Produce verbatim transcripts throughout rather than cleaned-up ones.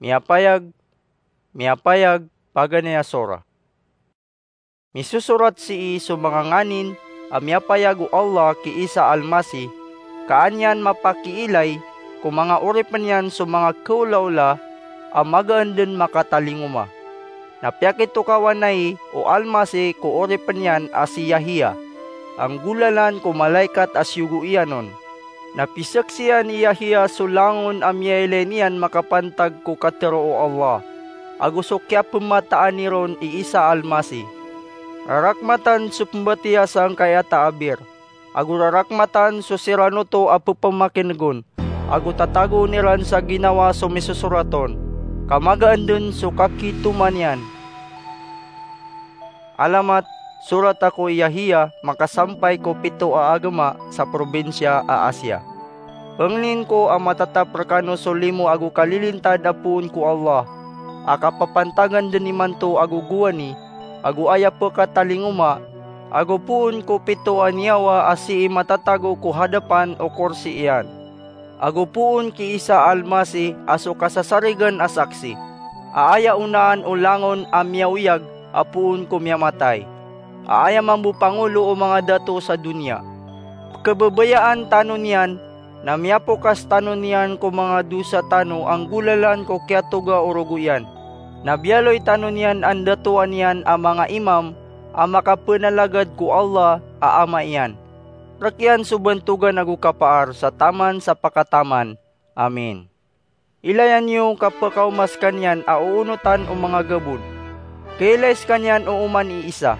Miyapayag, miyapayag, paganay a sora. Misosorat sii so manga nganin a miyapayag o Allah ki Isa Almasih, ka an iyan mapakiilay ko manga oripn iyan so manga kaolaola a magaan dn makatalingoma. Na piyakitokawan ai o Almasih ko oripn iyan a si Yahya, a nggolalan ko malaikat a siyogo iyan on. Na pizaksian i Yahya so langon a miyailay niyan makapantag ko katharo o Allah, ago so kiyapmataani ron i Isa Almasih. Rarakmatan so pmbatiya sangkaya taabir, ago rarakmatan so siran oto a pphamakin'g on, ago tatagoon iran sa ginawa so misosorat on, ka magaan dn so kakitoma niyan. Alamat, sorat ako i Yahya makasampay ko pito a agama sa probinsiya a Asia. Pangnin ko a matatap rkano so limo ago kalilintad a poon ko Allah, a kapapantagan dn imanto ago gowani, ago aya pkatalingoma, ago poon ko pito a niyawa a sii matatago ko hadapan o korsi iyan, ago poon ki Isa Almasih a so kasasarigan a saksi, a aya onaan o langon a miyaoyag a poon ko miyamatay, a aya mambo pangolo o manga dato sa doniya. Pkhababayaan tano niyan, na miyapokas tano niyan ko manga dosa tano a nggolalan ko kiyatoga o rogo iyan. Na biyaloy tano niyan a ndatoan iyan a manga imam a makapnalagad ko Allah a Ama iyan. Rk iyan so bantogan ago kapaar sa taman sa pakataman. Amin. Ilayan iyo ka pkaoma skaniyan a oonotan o manga gabon. Kailay skaniyan o oman i Isa,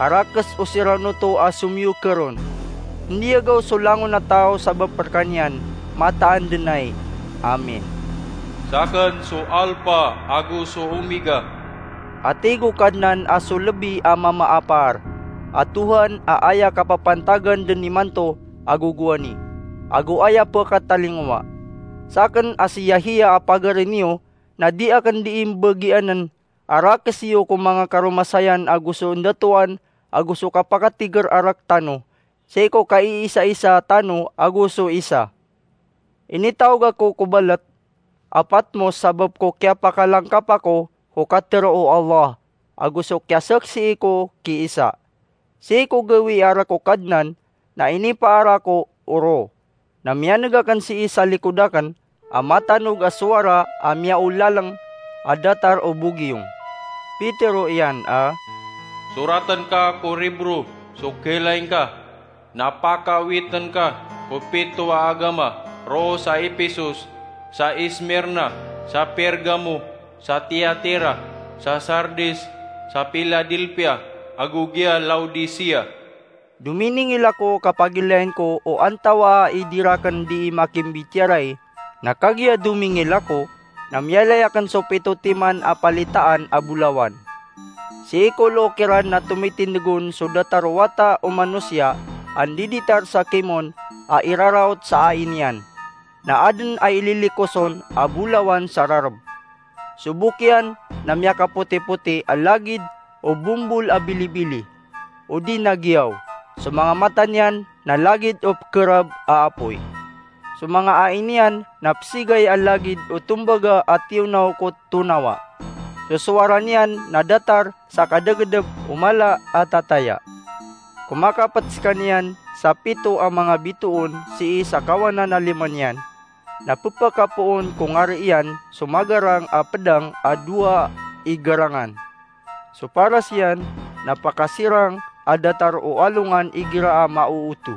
a rakes o siran oto a somiyokr on. Ndiyagaw so langon a taw sabap rkaniyan, mataan dn ai. Amin. Sakn so Alpha ago so Omega, a tig o Kadnan a so lbi a mama a paar, a Tohan a aya kapapantagan dn imanto ago gowani, ago aya pkatalingoma. Sakn a si Yahya a pagari niyo, na di akn dii mbagiann a rakes iyo ko manga karomasayan ago so ndatoan ago so kapakatigr a rk tano, sii ko kaiisaisa tano ago so isa. Initaog ako ko balat a Patmos sabap ko kiyapakalangkap ako ko katharo o Allah, ago so kiyasaksii ko ki Isa. Sii ko gawii a rk o Kadnan na inipaar ako o Roh, na miyaneg akn sii sa likod akn a matanog a sowara a miyaolalng a datar o bogiyong. Pitero iyan a, soratn ka ko ribro so khailay ngka, na pakawitn ka ko pito a agama roo sa Epesos, sa Esmirna, sa Pergamo, sa Tiatira, sa Sardis, sa Piladelpia, ago giya Laodicea. Dominingil ako ka pagilayn ko o antawaa i di rakn dii makimbitiyarai, na kagiya domingil ako, na miyailay akn so pito timan a palitaan a bolawan. Sii ko loo kiran na tomitindg on so datar o wata o manosiya a ndiditar sa kimon a iraraot sa ai niyan, na adn a ililikos on a bolawan sa rarb. So bok iyan na miyakapotipoti a lagid o bombol a bilibili, odi na giyaw. So manga mata niyan na lagid o pkhrab a apoy. So manga ai niyan na psigay a lagid o tombaga a tiyonaw ko tonawa. So sowara niyan na datar sa kadagdb o mala a tataya. Komakapt skaniyan sa pito a manga bitoon sii sa kawanan a lima niyan, na pphakapoon ko ngari iyan so magarang a pdang a dowa i garangan. So paras iyan na pakasirang a datar o alongan igira a maooto.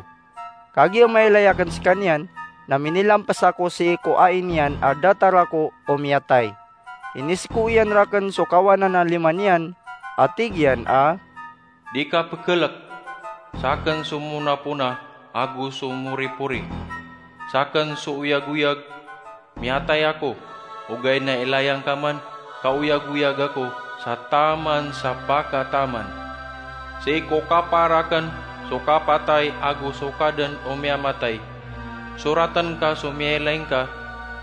Kagiya mailay akn skaniyan, na minilamps ako sii ko ai niyan a datar ako o miyatay. Inisko iyan rakn so kawanan a lima niyan, a tig iyan a, di ka pkhlk. Sakn so monapona ago so moripori. Sakn so oyagoyag. Miyatay ako, ogaid na ilaya ngka man ka oyagoyag ako sa taman sa pakataman. Sii ko kapaar akn so kapatay ago so kadn o miyamatay. Soratn ka so miyailay ngka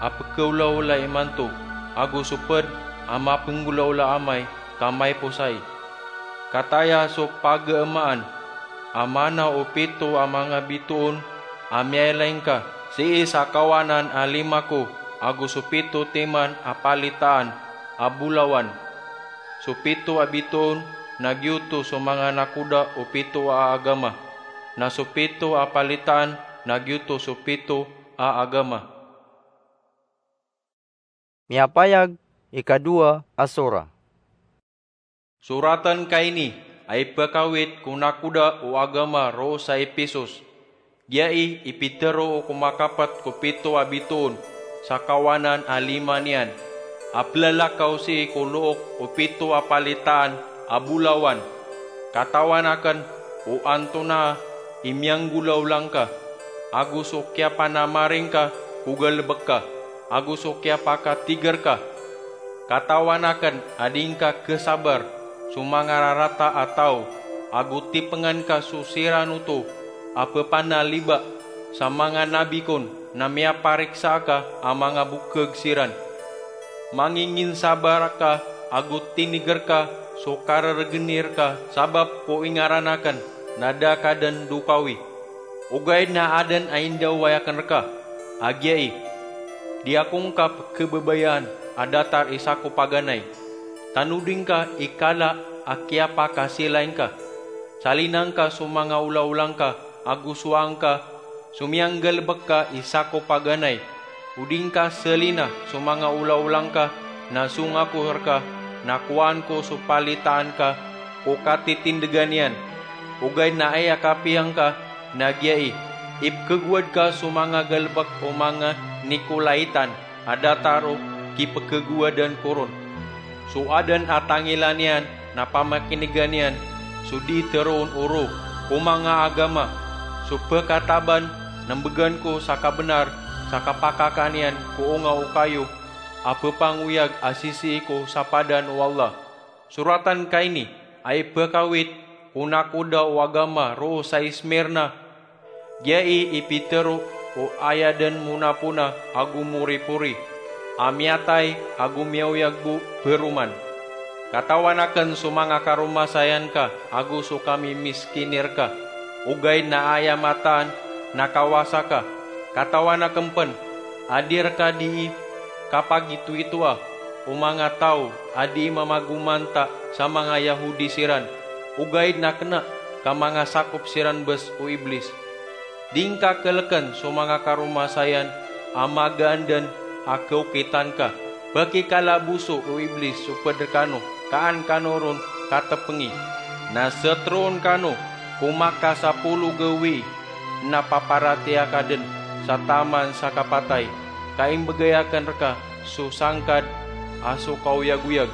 a pkhaolaola imanto, ago so pd a mapnggolaola amay ka maiposay. Kataya so pagamaan a mana o pito a manga bitoon a miyailay ngka sii sa kawanan a lima ko. ago so pito timan a palitaan a bolawan. So pito a bitoon na giyoto so manga nakoda o pito a agama, na so pito a palitaan na giyoto so pito a agama. Miyapayag, ikadowa a sora. Soraten ka ini a ipekawit ko nakoda o agama roo sa Episos. Giyai i pitero o komakapet ko pito a bitoon sa kawanan a lima niyan, a pelalakaw sii ko look o pito a palitaan a bolawan. Katawan aken o antonaa i miyanggolawla ngka, ago so kiyapanamaring ka ko galebek ka, ago so kiyapakatiger ka. Katawan aken a di ngka kesabar so manga rarata a taw, ago tipengan ka so siran oto a pepanaliba sa manga nabi kon na miyapariksa ka a manga bokeg siran. Manginginsabar ka ago tiniger ka so kareregenir ka sabap ko ingaran aken na da ka den dokawi. Ogaid na aden a indaway aken reka a giyai, di ako ngka pekebabayaan a datar i sako paganay. Tanodi ngka i kala a kiyapakasilay ngka. Salina ngka so manga olaola ngka ago sowaa ngka so miyanggalebek ka i sako paganay. O di ngka selina so manga olaola ngka na song ako reka na kowaan ko so palitaan ka ko katitindegan iyan. Ogaid na aya kapiya ngka na giyai, ipekegowad ka so manga galebek o manga Nikolaitan a datar o kipekegowadan ko ron. So aden a tangilan iyan na pamakinegan iyan so di teroon o ro ko manga agama. So pekataban na mbegan ko sa kabenar sa kapakakan iyan ko onga o kayo a pepangoyag a sisii ko sapadan o Allah. Soraten ka ini a ipekawit ko nakoda o agama roo sa Ismirna. Giyai i pitero o aya den monapona ago moripori, a miyatay ago miyaoyag bo peroman. Katawan aken so manga karomasayan ka ago so kamimiskinir ka, ogaid na aya mataan na kawasa ka. Katawan aken pen a di reka dii kapagitoitoa o manga taw a dii mamagomanta sa manga Yahudi siran, ogaid na kena ka mangasakop siran bes o Iblis. Di ngka keleken so manga karomasayan a magaan den a keokitan ka. Pekikalaboso o Iblis so ped rekano, ka an kano ron katepengi. Na seteroon kano ko makasapolo gawii na paparatiyaya ka den sa taman sa kapatay, ka imbegay aken reka so sangkad a so kaoyagoyag.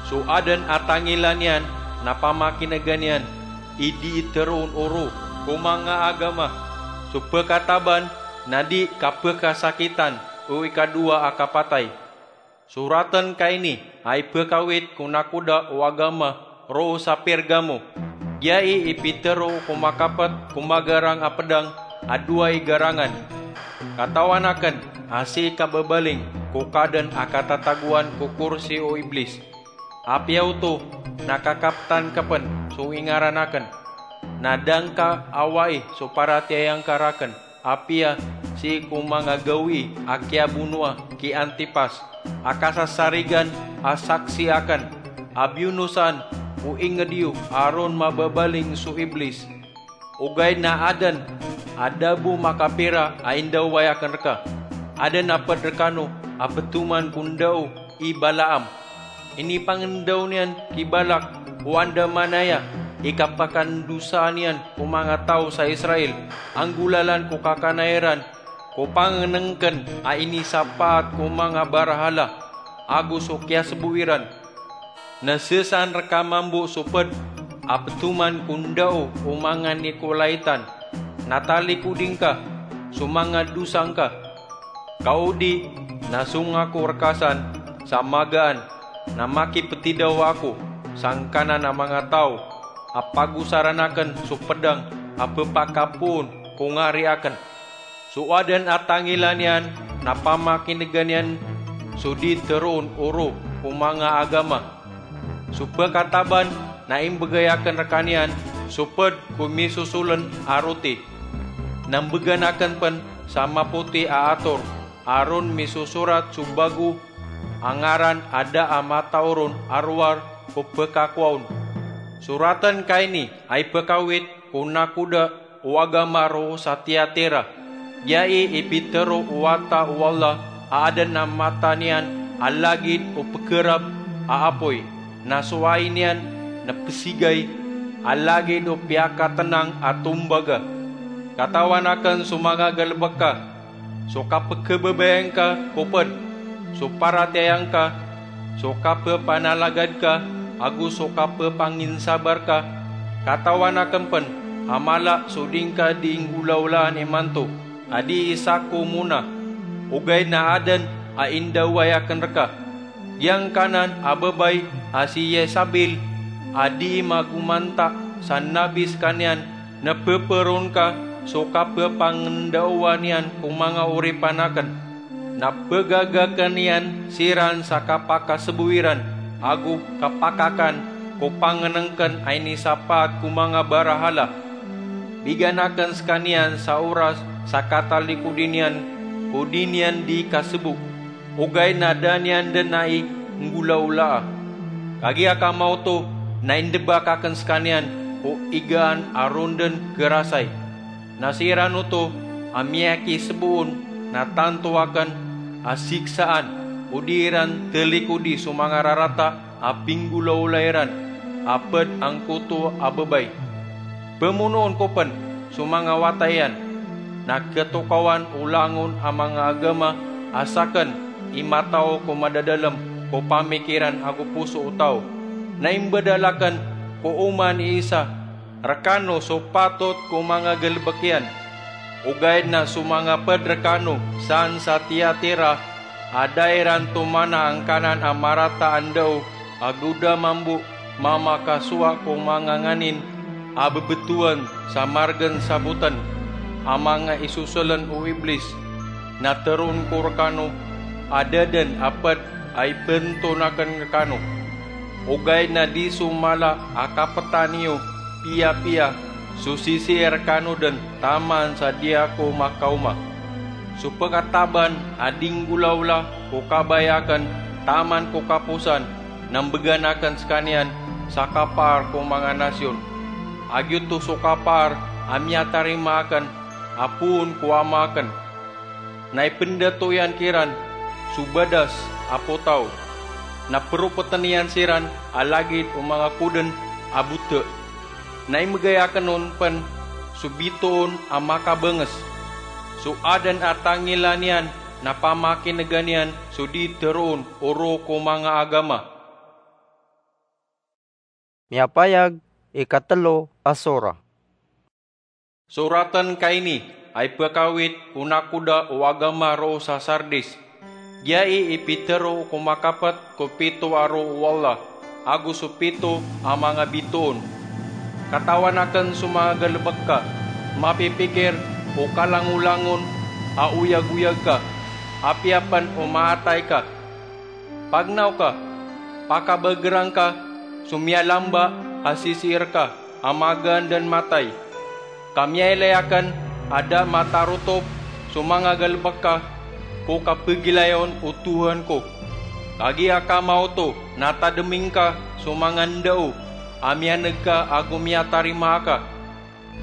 So aden a tangilan iyan na pamakinegan iyan i dii teroon o ro ko manga agama. So pekataban na di kapekasakitan o ikadowa a kapatay. Soraten ka ini a ipekawit ko nakoda o agama roo sa Pergamo. Giyai i pitero ko makapet ko magarang a pedang a dowa i garangan. Katawan aken a sii ka babaling ko kaden a katatagoan ko korsi o Iblis. Apiya oto na kakaptan ka pen so ingaran aken. Na da ngka awai so paratiyaya ngka raken. Apiya sii ko manga gawii a kiyabonoa ki Antipas a kasasarigan a saksi aken, a biyonosan o inged iyo a ron mababaling so Iblis. Ogaid na aden a da bo makapira a indaway aken reka. Aden a ped rekano a petoman ko ndao i Balaam. Inipangendaw niyan ki Balak o andamanaya i kapakandosaan iyan ko manga taw sa Israel, anggolalan ko kakanay ran ko pangenengken a inisapaat ko manga barahala ago so kiyasebo iran. Na sesaan reka mambo so ped a petoman ko ndao o manga Nikolaitan. Na talikodi ngka so manga dosa ngka. Ka o di na song ako reka san sa magaan, na makipetidawa ako sangkanan a manga taw a pagosaran aken so pedang a pepakapoon ko ngari aken. So aden a tangilan iyan na pamakinegan iyan so di teroon o ro ko manga agama. So pekataban na imbegay aken rekaniyan so ped ko misosolen a roti. Na mbegan aken pen sa mapoti a ator. a ron misosorat so bago a ngaran a da a matao ron a rowar ko pekakowa on. Soraten ka ini a ipekawit ko nakoda o agama roo sa Tiatira. Giyai i pitero o wata o Allah a aden a mata niyan a lagid o pekerab a apoy, na so ai niyan na pesigay a lagid o piyakatenang a tombaga. Katawan aken so manga galebek ka, so kapekebabayaan ka ko ped, so paratiyaya ngka, so kapepanalagad ka, ago so kapepanginsabar ka. Katawan aken pen a mala so di ngka di nggolaolaan imanto a di isa ko mona, ogaid na aden a indaoway aken reka. Giyangkanan a babay a si Yesabel a di magomanta sa nabi sekaniyan, na peperon ka so kapepangendaowan iyan ko manga oripan aken. Na pegagaken iyan siran sa kapakasebo iran ago kapakakan ko pangenengken a inisapaat ko manga barahala. Bigan aken sekaniyan sa oras sa katalikodi niyan ko di niyan di kasebo, ogaid na da niyan den ai nggolaolaa. Kagiya ka maoto na indebak aken sekaniyan ko igaan a ron den kerasay. Na siran oto a miyakisebo on na tanto aken a siksaan, o di iran telikodi so manga rarata a pinggolaola iran a ped angkoto a babay. Pemonoon ko pen so manga wata iyan, na ketokawan o langon a manga agama a saken i matao ko madadalem ko pamikiran ago poso o taw. Na imbedal aken ko oman i isa rekano so patot ko manga galebek iyan. Ogaid na so manga ped rekano san sa Tiatira a da iran tomana angkanan a marata a ndao ago da mambo mamakasowa ko manga nganin a bebetowan sa margen saboten a manga isosolen o Iblis, na teroon ko rekano a da den a ped a ipenton aken rekano. Ogaid na di so mala a kapetan iyo piyapiya so sisii rekano den taman sa di ako makaoma. So pekataban a di nggolaola ko kabaya aken taman ko kaposan na mbegan aken sekaniyan sa kapaar ko manga nasiyon. A giyoto so kapaar a miyatarima aken a poon ko Ama aken. Na ipendato iyan kiran so badas a potaw. Na peropeten iyan siran a lagid o manga koden a bote. Na imegay aken on pen so bitoon a makabenges. So aden a tangila niyan na pamakinegan iyan so di teroon o roo ko manga agama. Miyapayag i katelo a sora. Soraten ka ini a ipekawit o nakoda o agama roo sa Sardis. Giyai i pitero ko makapet ko pito a roo o Allah, ago so pito a manga bitoon. Katawan aken so manga galebek ka, mapipikir o kalangolangon a oyagoyag ka, apiya pen o maatay ka. Pagnaw ka, pakabegerang ka so miyalamba a sisii reka a magaan den matay. Ka miyailay aken a da matarotop so manga galebek ka ko kapegilayon o Tohan ko. Kagiya ka maoto na tademi ngka so manga ndao a miyaneg ka ago miyatarima aka.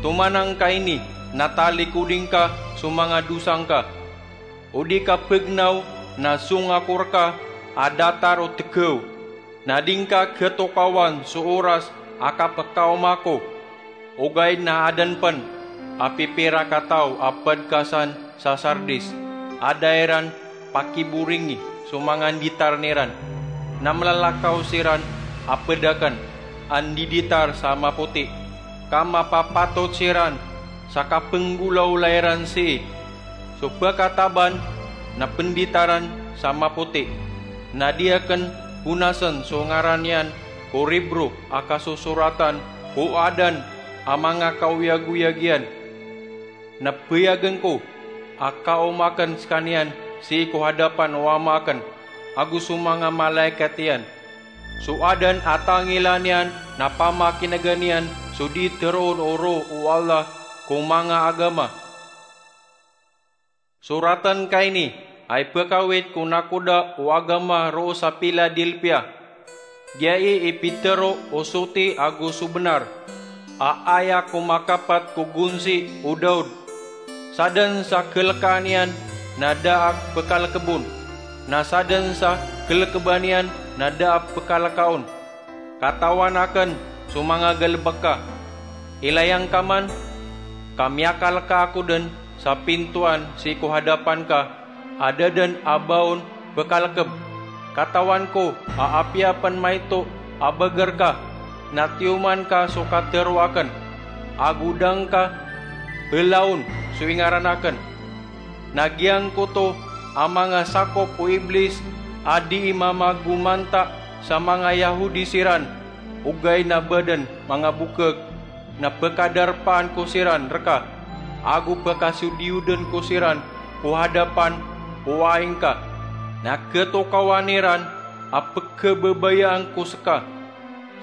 Tomanang ka ini na talikodi ngka so manga dosa ngka. O di ka pegnaw na song ako reka a datar o tegaw, na di ngka ketokawan so oras a kapekaoma ko. Ogaid na aden pen a pipirakataw a ped ka san sa Sardis a da iran pakiboringi so manga nditarn iran, na melalakaw siran a ped aken a ndiditar sa mapoti, ka mapapatot siran sa kapenggolaola iran sii. So pekataban na penditaran sa mapoti, na di aken bonasen so ngaran iyan ko ribro a kasosoratan ko aden a manga kaoyagoyag iyan. Na peyagen ko a kaoma aken sekaniyan sii ko hadapan o Ama aken ago so manga malaikat iyan. So aden a tangila niyan na pamakinegan iyan so di teroon o roo o Allah ko manga agama. Soraten ka ini a ipekawit ko nakoda o agama roo sa Piladelpia. Giyai i pitero o soti ago so benar, a aya ko makapat ko gonsi o Daod. Saden sa kelekaan iyan na da a pekalekebon, na saden sa kelekeban iyan na da a pekalekaon. Katawan aken so manga galebek ka. Ilay angka man, ka miyakaleka ako den sa pintoan sii ko hadapan ka, a da den a ba on pekalekeb. Katawan ko a apiya pen maito a beger ka, na tiyoman ka so katero aken, ago da ngka elaon so ingaran aken. Na giyangkoto a manga sakop o Iblis a dii mamagomanta sa manga Yahudi siran, ogaid na ba den manga bokeg, na pekadarpaan ko siran reka, ago pekasodiyoden ko siran ko hadapan o aing ka. Na ketokawan iran a pekebabayaan ko seka.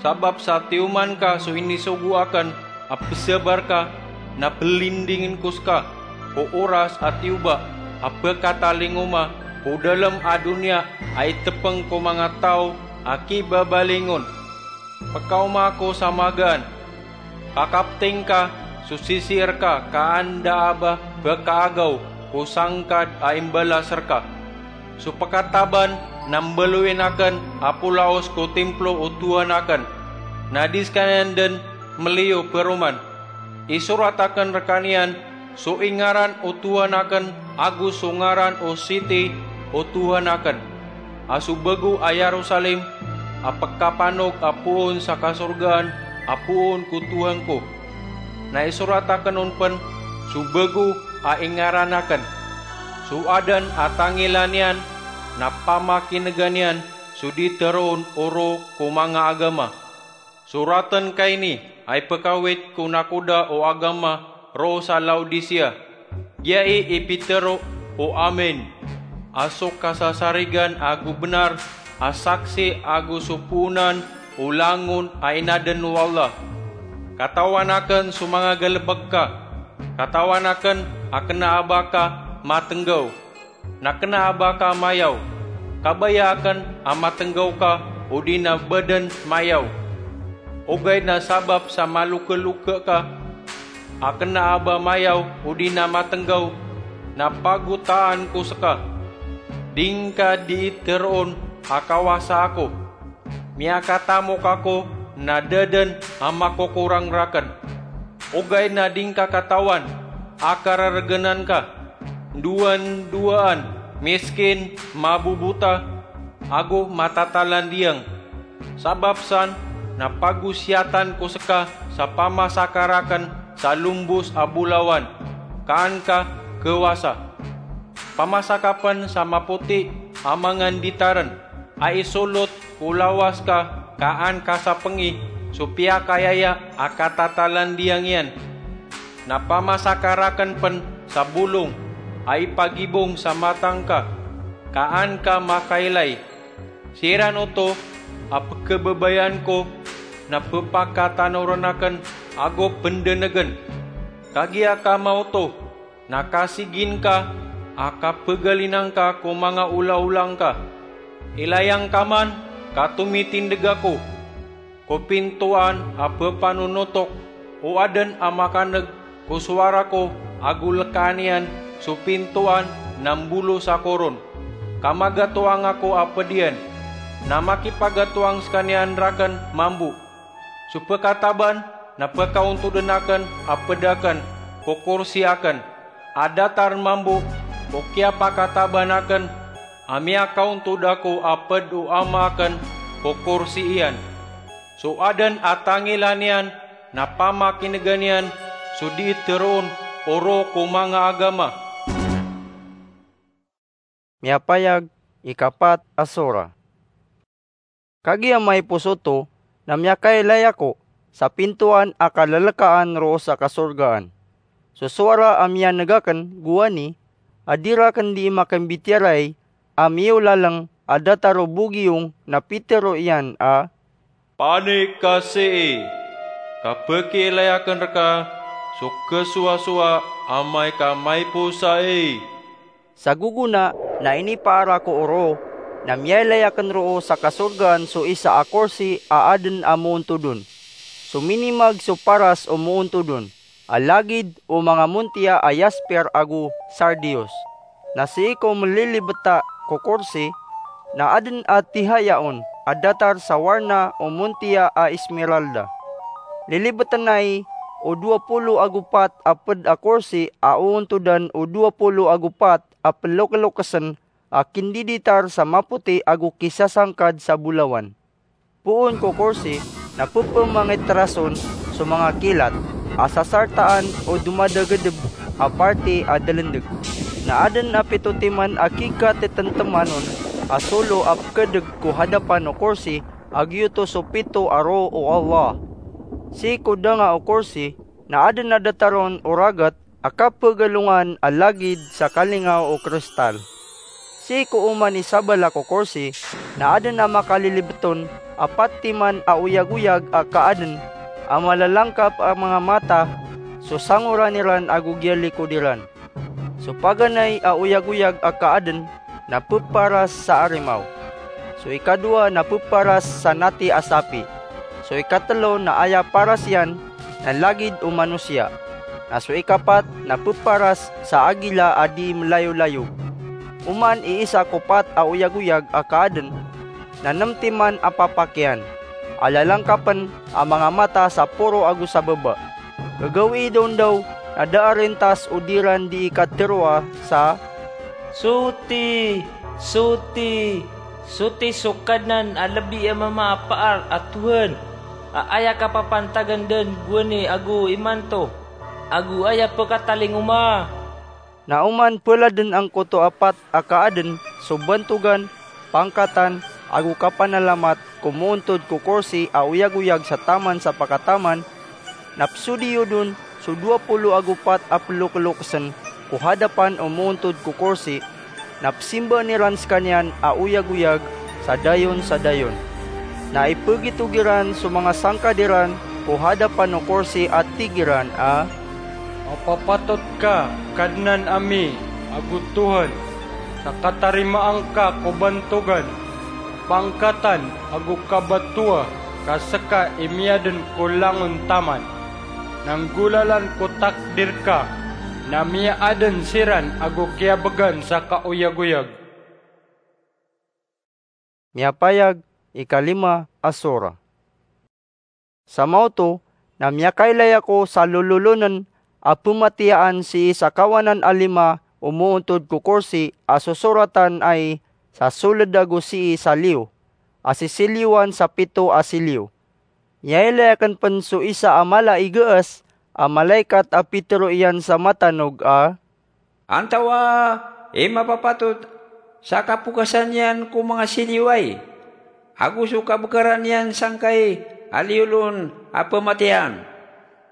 Sabap sa tiyoman ka so inisogo aken a pesabar ka, na pelindingen ko seka ko oras a tiyoba a pekatalingoma ko dalem a doniya a itepeng ko manga taw a kibabalingon. Pekaoma ako sa magaan. Kakapting ka so sisii reka ka anda a ba pekaagaw ko sangkad a imbalas reka. So pekataban na mbaloyin aken a polaos ko timplo o Tuhan aken, na di sekaniyan den meliyo peroman. Isorat aken rekaniyan so ingaran o Tuhan aken ago so ngaran o siti o Tuhan aken, a so bego a Yerusalem a pekapanog a poon sa kasorgaan a poon ko Tuhan ko. Na isorat aken on pen so bego a ingaran aken, so aden a tangilaan iyan na pamakinegan iyan so di teroon o roo ko manga agama. Soraten ka ini a ipekawit ko nakoda o agama roo sa Laodicea. Giyai i pitero o Amen, a so kasasarigan ago benar a saksi ago so poonan o langon a inaden o Allah. Katawan aken so manga galebek ka. Katawan aken a kena a ba ka matenggaw, na kena a ba ka mayaw. Kabaya aken a matenggaw ka odi na ba den mayaw. Ogaid na sabap sa malokeloke ka a kena a ba mayaw odi na matenggaw, na pagotaan ko seka. Di ngka dii teroon a kawasa ako. Miyakatamok ako na da den a makokorang raken. Ogaid na di ngka katawan a kareregenan ka, ndowandowaan, miskin, mabobota, ago matatalandiyang. Sabap san na pagosiyatan ko seka sa pamasaka raken sa lombos a bolawan, ka an ka kewasa. Pamasaka pen sa mapoti a manga nditaren, a isolot ko lawas ka, ka an kasapengi so piyakayaya a katatalandiyang iyan. Na pamasaka raken pen sa bolong a ipagibong sa mata ngka, ka an ka makailay. Siran oto a pekebabayaan ko na pepakatanoren aken ago pendenegen. Kagiya ka maoto na kasigin ka a kapegalina ngka ko manga olaola ngka. Ilay angka man ka tomitindeg ako ko pintoan a pepanonotok, o aden a makaneg ko sowara ko ago lekaan iyan so pintoan na mbolos ako ron. Ka magatoang ako a ped iyan, na makipagatoang sekaniyan raken mambo. So pekataban na pekaontoden aken a ped aken ko korsi aken a datar mambo ko kiyapakataban aken a miyakaontod ako a ped o Ama aken ko korsi iyan. So aden a tangila niyan na pamakinegan iyan so dii teroon o roo ko manga agama. Miyapayag i kapat a sora. Kagiya maipos oto na miyakailay ako sa pintoan a kalelekaan roo sa kasorgaan. So sowara a miyaneg aken gowani a di raken dii makambitiyarai a miyolaleng a datar o bogiyong na pitero iyan a, "Panik ka sii, ka pekiilay aken reka so kesowasowa amay ka maipos ai." Sa gogona na inipaara ko oro, na miyailay aken roo sa kasorgaan so isa a korsi a aden a moontod on. So minimag so paras o moontod on, a lagid o manga montiya a yasper ago sardius. Na sii ko melilibeta ko korsi, na aden a tihaya on a datar sa warna o montiya a esmeralda. Lilibeten ai o dowa polo ago pat a ped a korsi a oontodan o dowa polo ago pat a pelokelokesen a kindiditar sa mapoti ago kisasangkad sa bolawan. Poon ko korsi na pepemangiterason so manga kilat a sasartaan o domadagedeb a parti a delendeg. Na aden a pito timan a kikatitentemanon a solo a pekedeg ko hadapan o korsi, a giyoto so pito a roo o Allah. Sii ko danga o korsi na aden a datar on o ragat a kapegalongan a lagid sa kalingaw o kristal. Sii ko oman i sabala ko korsi na aden a makalilibet on a pat timan a oyagoyag a kaaden a malalangkap a manga mata so sangoran iran ago giyalikod iran. So paganay a oyagoyag a kaaden na peparas sa arimaw. So ikadowa na peparas sa nati a sapi. So ikatelo na aya paras iyan na lagid o manosiya. Na so ikapat na peparas sa agila a di melayolayo. Oman i isa ko pat a oyagoyag a kaaden na nem timan a papakiyan a lalangkapen a manga mata sa poro ago sa baba. Gagawii daon daw na da a rintas o di ran dii kateroa sa, "Soti, soti, soti so Kadnan a lebi a mamaapaar a Tohan, a aya kapapantagan den gowani ago imanto, ago aya pekatalingoma." Na oman peladen angkoto a pat a kaaden so bantogan, pangkatan, ago kapanalamat ko moontod ko korsi a oyagoyag sa taman sa pakataman, na pesodiyod on so dowa polo ago pat a pelokelokesen ko hadapan o moontod ko korsi, na pesimbaan iran sekaniyan a oyagoyag sa dayon sa dayon. Na ipegitog iran so manga sangkad iran ko hadapan o korsi a tig iran a, "Mapapatot ka, Kadnan ami ago Tohan, sa katarimaan ka ko bantogan, pangkatan ago kabatoa ka seka i miyaden ko langon taman. Na nggolalan ko takdir ka, na miyaaden siran ago kiyabegan sa kaoyagoyag." Miyapayag, ikalima a sura. Sa maoto na miyakailay ako sa lololonen a pematiyaan sii sa kawanan a lima o moontod ko korsi a sosoratan ai sa soled ago sii sa liyo a sisiliyowan sa pito a siliyo. Miyailay aken pen so isa a mala i geas a malaikat a pitero iyan sa matanog a, "Antawaa i mapapatot sa kapokasan iyan ko manga siliyo ai, ago so kabekaran iyan sangkai a liyolon a pematiyaan?"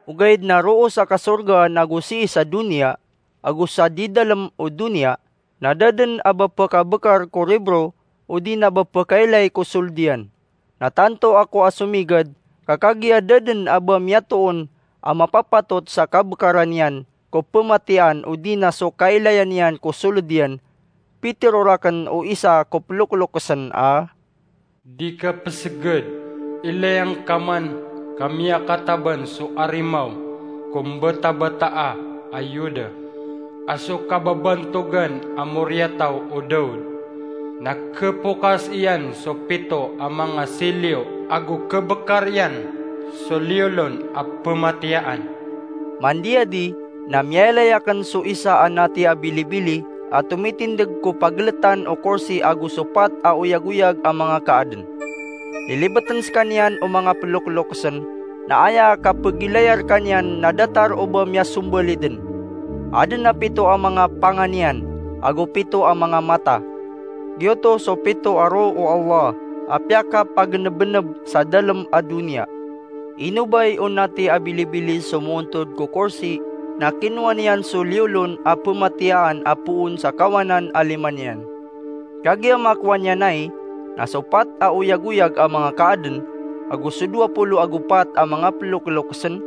Ogaid na roo sa kasorgaan ago sii sa doniya, ago sa di dalem o doniya, na da den a ba pekabekar ko ribro, odi na ba pekailay ko soled iyan. Na tanto ako a somigad, ka kagiya da den a ba miyatoon a mapapatot sa kabekaran iyan ko pematiyaan odi na so kailayan iyan ko soled iyan, pitero raken o isa ko pelokelokesen a, "Di ka peseged, ilay angka man ka miyakataban so arimaw ko mbatabataa a Yuda, a so kababantogan a moriyataw o Daud. Na kepokas iyan so pito a manga siliyo ago kebekar iyan so liyolon a pematiyaan." Mandiyadi na miyailay aken so isa a nati a bilibili a tomitindeg ko pageletan o korsi ago so pat a oyagoyag a manga kaaden. Lilibeten sekaniyan o manga pelokelokesen, na aya kapegilayar kaniyan na datar o ba miyasombalid den. Aden a pito a manga pangan iyan, ago pito a manga mata. Giyoto so pito a roo o Allah a piyakapagenebeneb sa dalem a doniya. Inobay o nati a bilibili so moontod ko korsi, na kinowa niyan so liyolon a pematiyaan a poon sa kawanan a lima niyan. Kagiya makowa niyan ai, na so pat a oyagoyag a manga kaaden, ago so dowa polo ago pat a manga pelokelokesen,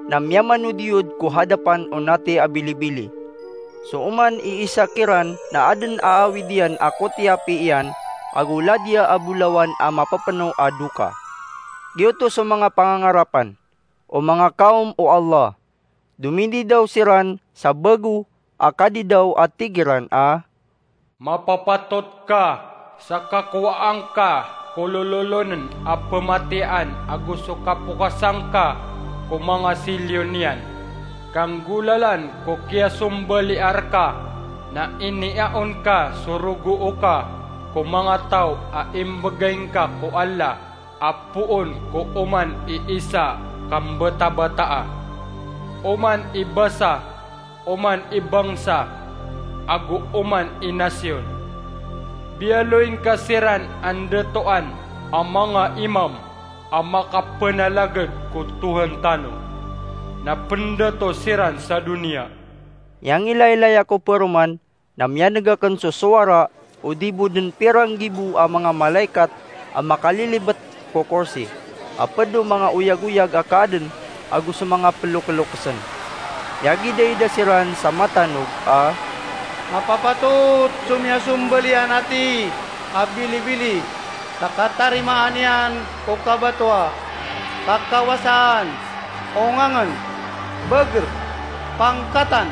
na miyamanodiyod ko hadapan o nati a bilibili. So oman i isa kiran na adn a awid iyan a kotiyapi iyan ago ladiya a bolawan a mapepeno a doka. Giyoto so manga pangangarapan, o manga kawm o Allah. Domindidaw siran sa bago a kadidaw a tig iran a, "Mapapatot ka sa kakowaan ka ko lololonen a pematiyaan ago so kapokasan ka ko manga silyo niyan. Kanggolalan ko kiyasombaliya rka na iniyaon ka so rogoo ka ko manga taw a imbegay ngka ko Allah a poon ko oman i isa a kambetabetaa, oman i basa, oman i bangsa, ago oman i nasiyon. Biyaloy ngka siran a ndatoan a manga imam a makapenalagad ko Tohan tano, na pendato siran sa doniya." Iyangilaylaya ko peroman na miyaneg aken so sowara o di bo den piranggibo a manga malaikat a makalilibet ko korsi a ped o manga oyagoyag a kaaden ago so manga pelokelokesen. Miyagidaida siran sa matanog a, "Mapapatot so miyasombaliya a nati a bilibili sa katarimaan iyan ko kabatoa, kakawasaan, ongangen, beger, pangkatan,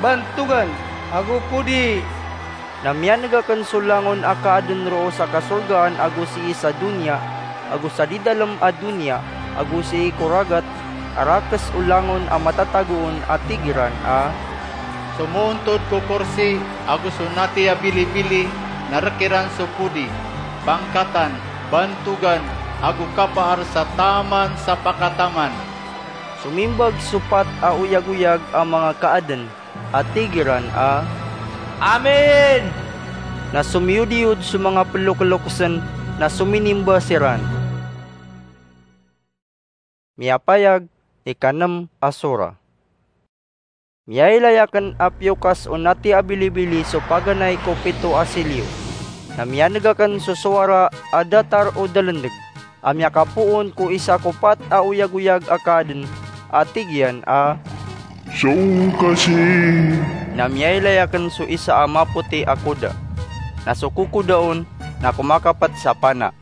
bantogan, ago podi." Na miyaneg aken so langon a kaaden roo sa kasorgaan ago sii sa doniya, ago sa di dalem a doniya, ago sii ko ragat a rakes o langon a matatagoon a tig iran a, "Somoontod ko korsi ago so nati a bilibili na rek iran so podi, pangkatan, bantogan, ago kapaar sa taman sa pakataman." Somimbag so pat a oyagoyag a manga kaaden a tig iran a, "Amen!" Na somiyodiyod so manga pelokelokesen na sominimba siran. Miyapayag, ikanem a sora. Miyailay aken a piyokas o nati a bilibili so paganay ko pito a silyo. Na miyaneg aken so sowara a datar o dalendeg a miyakapoon ko isa ko pat a oyagoyag a kaaden a tig iyan a, "Songkasi!" Na miyailay aken so isa a mapoti a koda. Na so kokoda on na komakapet sa pana.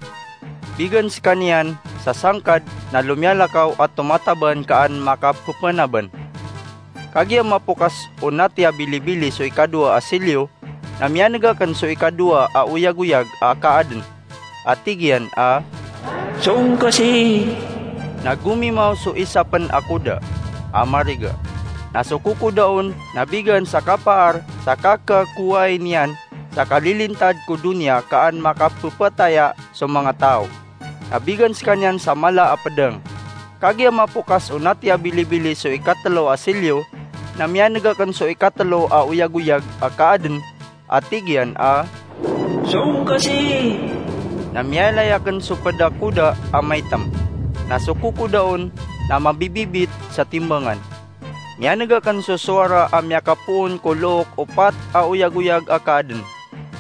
Bigan sekaniyan sa sangkad na lomiyalakaw a tomataban kaan makapepenaban. Kagiya mapokas o nati a bilibili so ikadowa a silyo, na miyaneg aken so ikadowa a oyagoyag a kaaden a tig iyan a, "Songkasi!" Na gomimaw so isa pen a koda a mariga. Na so kokoda on na bigan sa kapaar sa kakakowai niyan sa kalilintad ko doniya kaan makapepataya so manga taw. Na bigan sekaniyan sa mala a pedang. Kagiya mapokas o nati a bilibili so ikatelo a silyo, na miyaneg aken so ikatelo a oyagoyag a kaaden a tig iyan a, "Songkasi!" Na miyailay aken so ped a koda a maitem. Na so kokoda on na mabibibit sa timbangan. Miyaneg aken so sowara a miyakapoon ko look o pat a oyagoyag a kaaden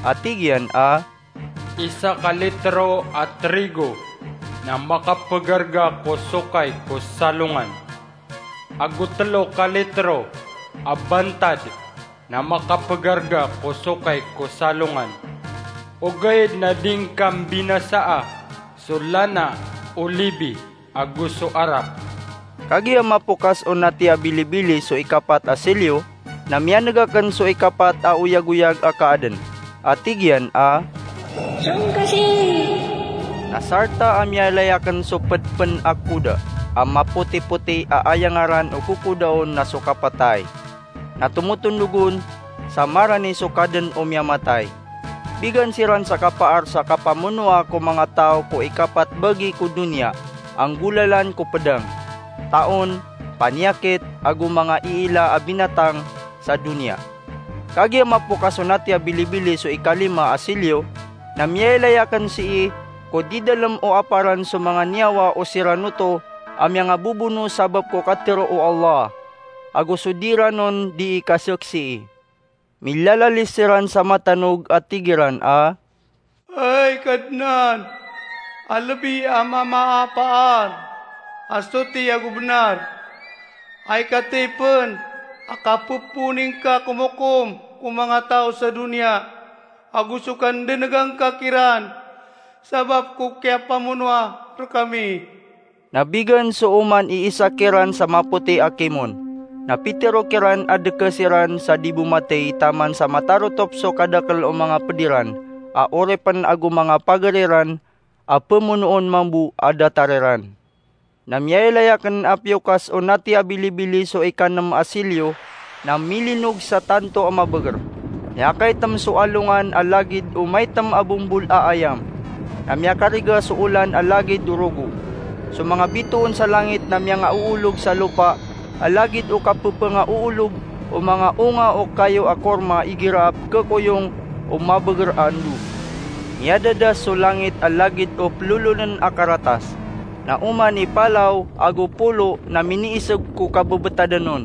a tig iyan a, "Isa ka litro a trigo na makapegarga ko sokay ko salongan, ago telo ka litro a bantad na makapegarga ko sokay ko salongan, ogaid na di ngka mbinasaa so lana o libi ago so arap." Kagiya mapokas o nati a bilibili so ikapat a silyo, na miyaneg aken so ikapat a oyagoyag a kaaden a tig iyan a, "Songkasi!" Na sarta a miyailay aken so ped pen a koda a mapotipoti a aya ngaran o kokoda on na so kapatay. Na tomotondog on sa marani so kaden o miyamatay. Bigan siran sa kapaar sa kapamonoa ko manga taw ko ikapat bagi ko doniya, anggolalan ko pedang, taon, paniyakit, ago manga iila a binatang sa doniya. Kagiya mapokas o nati a bilibili so ikalima a silyo, na miyailay aken sii ko di dalem o aparan so manga niyawa o siran oto a miyangabobono sabap ko katero o Allah, ago so di iran on dii kasaksii. Milalalis siran sa matanog a tig iran a, "Ay Kadnan, a lebi a mamaapaan a soti ago benar, ay katay pen a kapepoon ingka komokom ko manga taw sa doniya, ago so kandenegang ka kiran sabap ko kiyapamonoa rekami. Na bigan so oman i isa kiran sa mapoti a kimon. Na pitero kiran a deke siran sa di bomatey taman sa matarotop so kadakel o manga ped iran a oripen ago manga pager iran a pemonoon mambo a datar iran. Na miyailay aken a piyokas o nati a bilibili so ikanem a silyo, na milinog sa tanto a mabeger. Miyakaitem so alongan a lagid o maitem a bombol a ayam. Na miyakariga so olan a lagid o rogo. So manga bitoon sa langit na miyangaoolog sa lopa a lagid o kapepengaoolog o manga onga o kayo a korma igira a pekekoyong o mabeger a endo. Miyadadas so langit a lagid o pelolonen a karatas. Na oman i palaw ago polo na miniiseg ko kabebetadan on.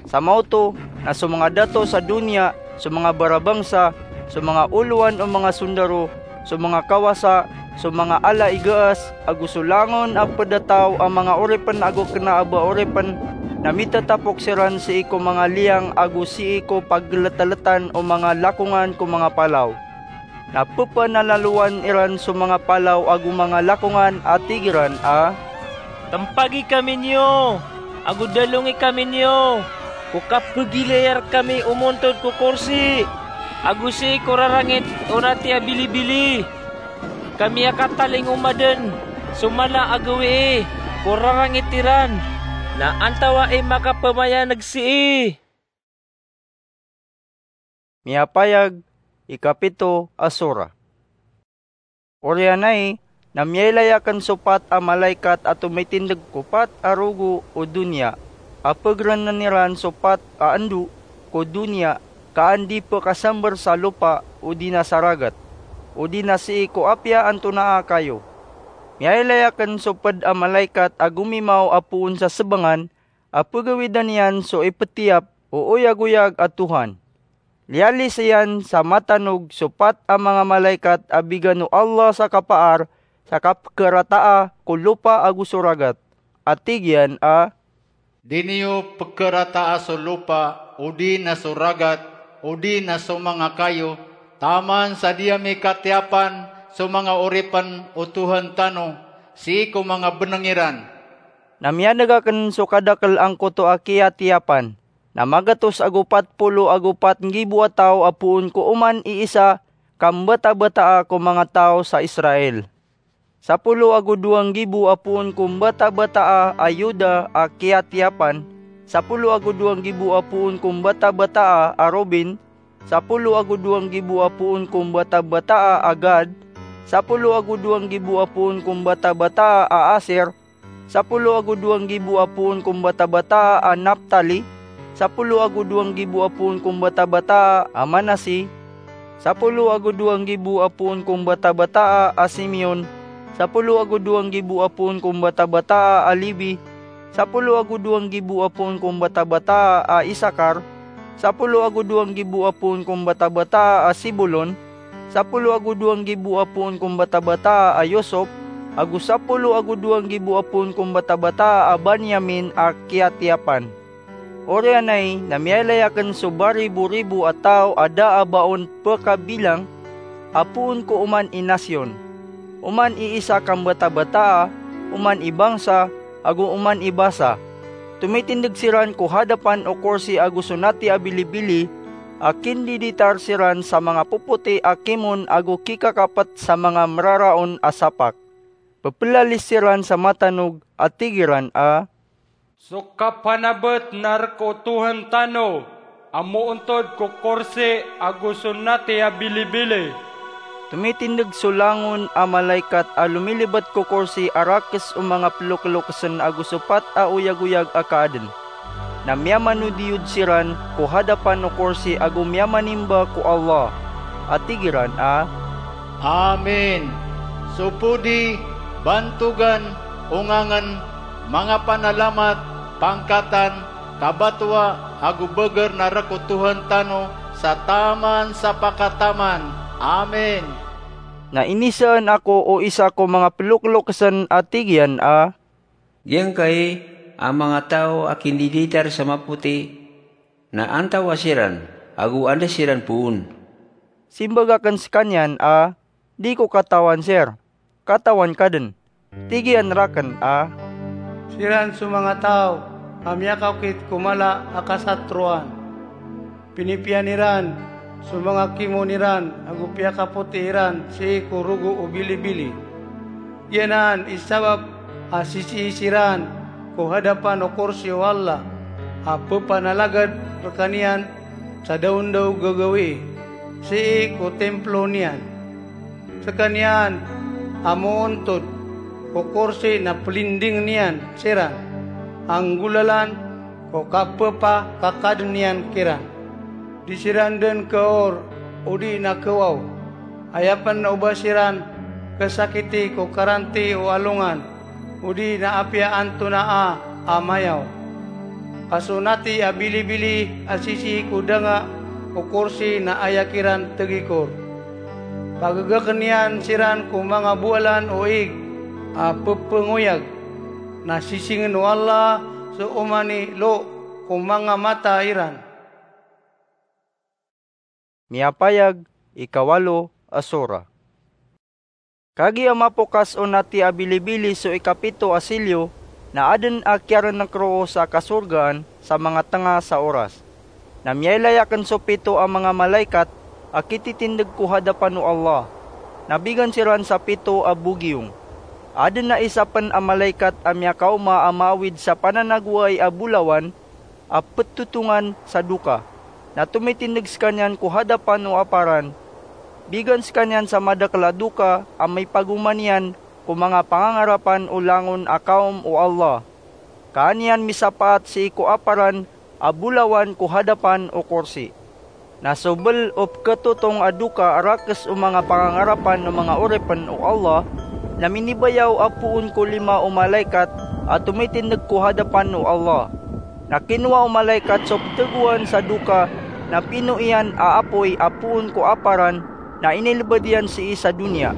Sa maoto na so manga dato sa doniya, so manga barabangsa, so manga olowan o manga sondaro, so manga kawasa, so manga ala i gaas, ago so langon a ped a taw a manga oripen ago kena a ba oripen, na mitatapok siran sii ko manga liyang ago sii ko paggeletaletan o manga lakongan ko manga palaw. Na pepanalalowan iran so manga palaw ago manga lakongan a tig iran a, "Tempagi kami niyo, ago dalongi kami niyo, ko kapegilayar kami omontod ko korsi, ago sii ko rarangit o nati a bilibili. Ka miyakatalingoma den so mala a gawii ko rarangit iran, na antawa i makapemayaneg sii?" Miyapayag, ikapito a sura. Oriyan ai, na miyailay aken so pat a malaikat a tomitindeg ko pat a rogo o doniya, a pegerenen iran so pat a endo ko doniya, ka an di pekasamber sa lopa odi na sa ragat, odi na sii ko apiya antonaa kayo. Miyailay aken so ped a malaikat a gomimaw a poon sa sebengan, a pegawidan iyan so ipetiyap o oyagoyag a Tohan. Liyalis iyan sa matanog so pat a manga malaikat a bigan o Allah sa kapaar sa kapekerataa ko lopa ago so ragat, a tig iyan a, "Di niyo pekerataa so lopa, odi na so ragat, odi na so manga kayo, taman sa di ami katiyapan so manga oripen o Tohan tano, sii ko manga beneng iran." Na miyaneg aken so kadakel angkoto a kiyatiyapan, na magatos ago pat polo ago pat nggibo a taw a poon ko oman i isa ka mbatabataa ko manga taw sa Israel. Sapolo ago dowa nggibo a poon ko mbatabataa a Yuda a kiyatiyapan, sapolo ago dowa nggibo a poon ko mbatabataa a Ruben, sapolo ago dowa nggibo a poon ko mbatabataa a Gad, sapolo ago dowa nggibo a poon ko mbatabataa a Aser, sapolo ago dowa nggibo a poon ko mbatabataa a Naftali, sapolo ago dowa nggibo a poon ko mbatabataa a Manasi, sapolo ago dowa nggibo a poon ko mbatabataa a Simeon, sapolo ago dowa nggibo a poon ko mbatabataa a Lebi, sapolo ago dowa nggibo a poon ko mbatabataa a Isakar, sapolo ago dowa nggibo a poon ko mbatabataa a Sebulon, sapolo ago dowa nggibo a poon ko mbatabataa a Yosop, ago sapolo ago dowa nggibo a poon ko mbatabataa a Benyamin a kiyatiyapan. Oriyan ai na miyailay aken so bariboribo a taw a da a ba on pekabilang, a poon ko oman i nasyon, oman i isa ka mbatabataa, oman i bangsa, ago oman i basa. Tomitindeg siran ko hadapan o korsi ago so nati a bilibili, a kindiditar siran sa manga popoti a kimon ago kikakapet sa manga meraraon a sapak. Pepelalis siran sa matanog a tig iran a, "So kapanabet na rek o Tohan tano a moontod ko korsi ago so nati a bilibili." Tomitindeg so langon a malaikat a lomilibat ko korsi a rakes o manga pelokelokesen ago so pat a oyagoyag a kaaden. Na miyamanodiyod siran ko hadapan o korsi ago miyamanimba ko Allah, a tig iran a, "Amin! So podi, bantogan, ongangen, manga panalamat, pangkatan, kabatoa, ago beger na rek o Tohan tano sa taman sa pakataman. Amin!" Na inisaan ako o isa ko manga pelokelokesen a tig iyan a, "Giyangkai a manga taw a kindiditar sa mapoti Na antawaa siran, ago anda siran poon?" Simbag akn skaniyan a, "Di ko katawan, sir. Katawan ka dn. Tig iyan rakn a, siran so manga taw a miyakaokit ko mala a kasatroan. Pinipiya niran so manga kimoon iran ago piyakapoti iran sii ko rogo o bilibili. Giyanan i sabap a sisii siran ko hadapan o korsi o Allah a ppanalagad rkaniyan sa daondaw gagawii, sii ko templo niyan. Skaniyan a moontod ko korsi na plinding niyan siran, a nggolalan ko kapphakakadn iyan kiran. Di siran dn khaor odi na khawaw. Aya pn o ba siran khasakiti ko karanti o alongan, odi na apiya antonaa a mayaw. Ka so nati a bilibili a sisii ko danga o korsi na aya kiran tgikor. Pagagakn iyan siran ko manga bowalan o ig a pphangoyag, na sisingn o Allah so oman i lo ko manga mata iran." Miyapayag, ikawalo a sora. Kagiya mapokas o nati a bilibili so ikapito a silyo, na adn a kiyarnk roo sa kasorgaan sa manga tnga sa oras. Na miyailay akn so pito a manga malaikat a kititindg ko hadapan o Allah. Na bigan siran sa pito a bogiyong. Adn a isa pn a malaikat a miyakaoma a maawid sa pananagowai a bolawan a ptotongan sa doka, na tomitindg skaniyan ko hadapan o aparan. Bigan skaniyan sa madakl a doka a mipagoma niyan ko manga pangangarapan o langon a kawm o Allah. Ka an iyan misapaat sii ko aparan a bolawan ko hadapan o korsi. Na so bl o pkhatotong a doka a rakes o manga pangangarapan o manga oripn o Allah, na minibayaw a poon ko lima o malaikat a tomitindg ko hadapan o Allah. Na kinowa o malaikat so ptegoan sa doka, na pino iyan a apoy a poon ko aparan, na inilbd iyan sii sa doniya.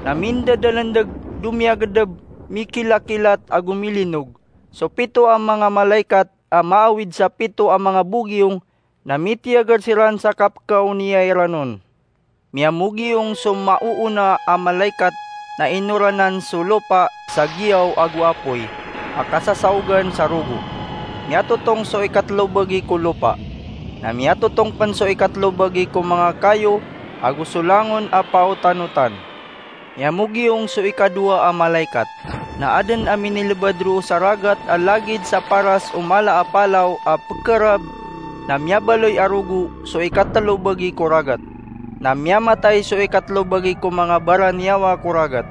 Na mindadalndg, domiyagdb, mikilakilat ago milinog. So pito a manga malaikat a maawid sa pito a manga bogiyong, na mitiyagar siran sa kapkaoniya iran on. Miyamogiyong so maoona a malaikat, na inoranan so lopa sa giyaw ago apoy a kasasaogan sa rogo. Miyatotong so ikatlo bagi ko lopa. Na miyatotong pn so ikatlo bagi ko manga kayo ago so langon a paotanotan. Miyamogiyong so ikadowa a malaikat. Na adn a minilbad roo sa ragat a lagid sa paras o mala a palaw a pkharab, na miyabaloy a rogo so ikatlo bagi ko ragat. Na miyamatay so ikatlo bagi ko manga baraniyawa ko ragat.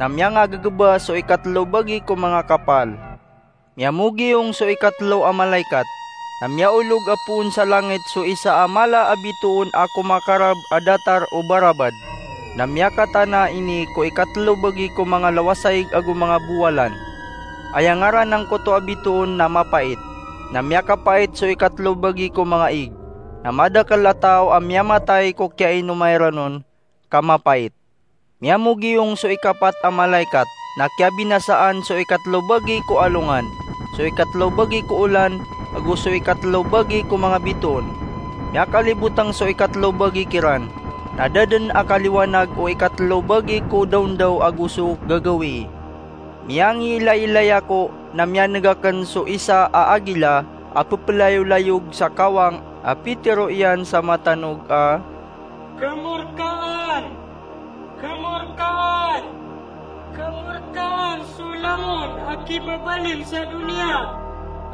Na miyangagagba so ikatlo bagi ko manga kapal. Miyamogiyong so ikatlo a malaikat, na miyaolog a poon sa langit so isa a mala a bitoon a komakarab a datar o barabad, na miyakatana ini ko ikatlo bagi ko manga lawasaig ago manga bowalan. Aya ngaran angkoto a bitoon na Mapait, na miyakapait so ikatlo bagi ko manga ig, na madakl a taw a miyamatay ko kiyainoma iran on ka mapait. Miyamogiyong so ikapat a malaikat, na kiyabinasaan so ikatlo bagi ko alongan, so ikatlo bagi ko olan, ago so ikatlo bagi ko manga bitoon. Miyakalibotang so ikatlo bagi kiran, na da dn a kaliwanag o ikatlo bagi ko daondaw ago so gagawii. Miyangiilailay ako, na miyaneg akn so isa a agila a pplayolayog sa kawang a pitharo iyan sa matanog a, "Kmorkaan! Kmorkaan! Kmorkaan so langon a kibabalin sa doniya,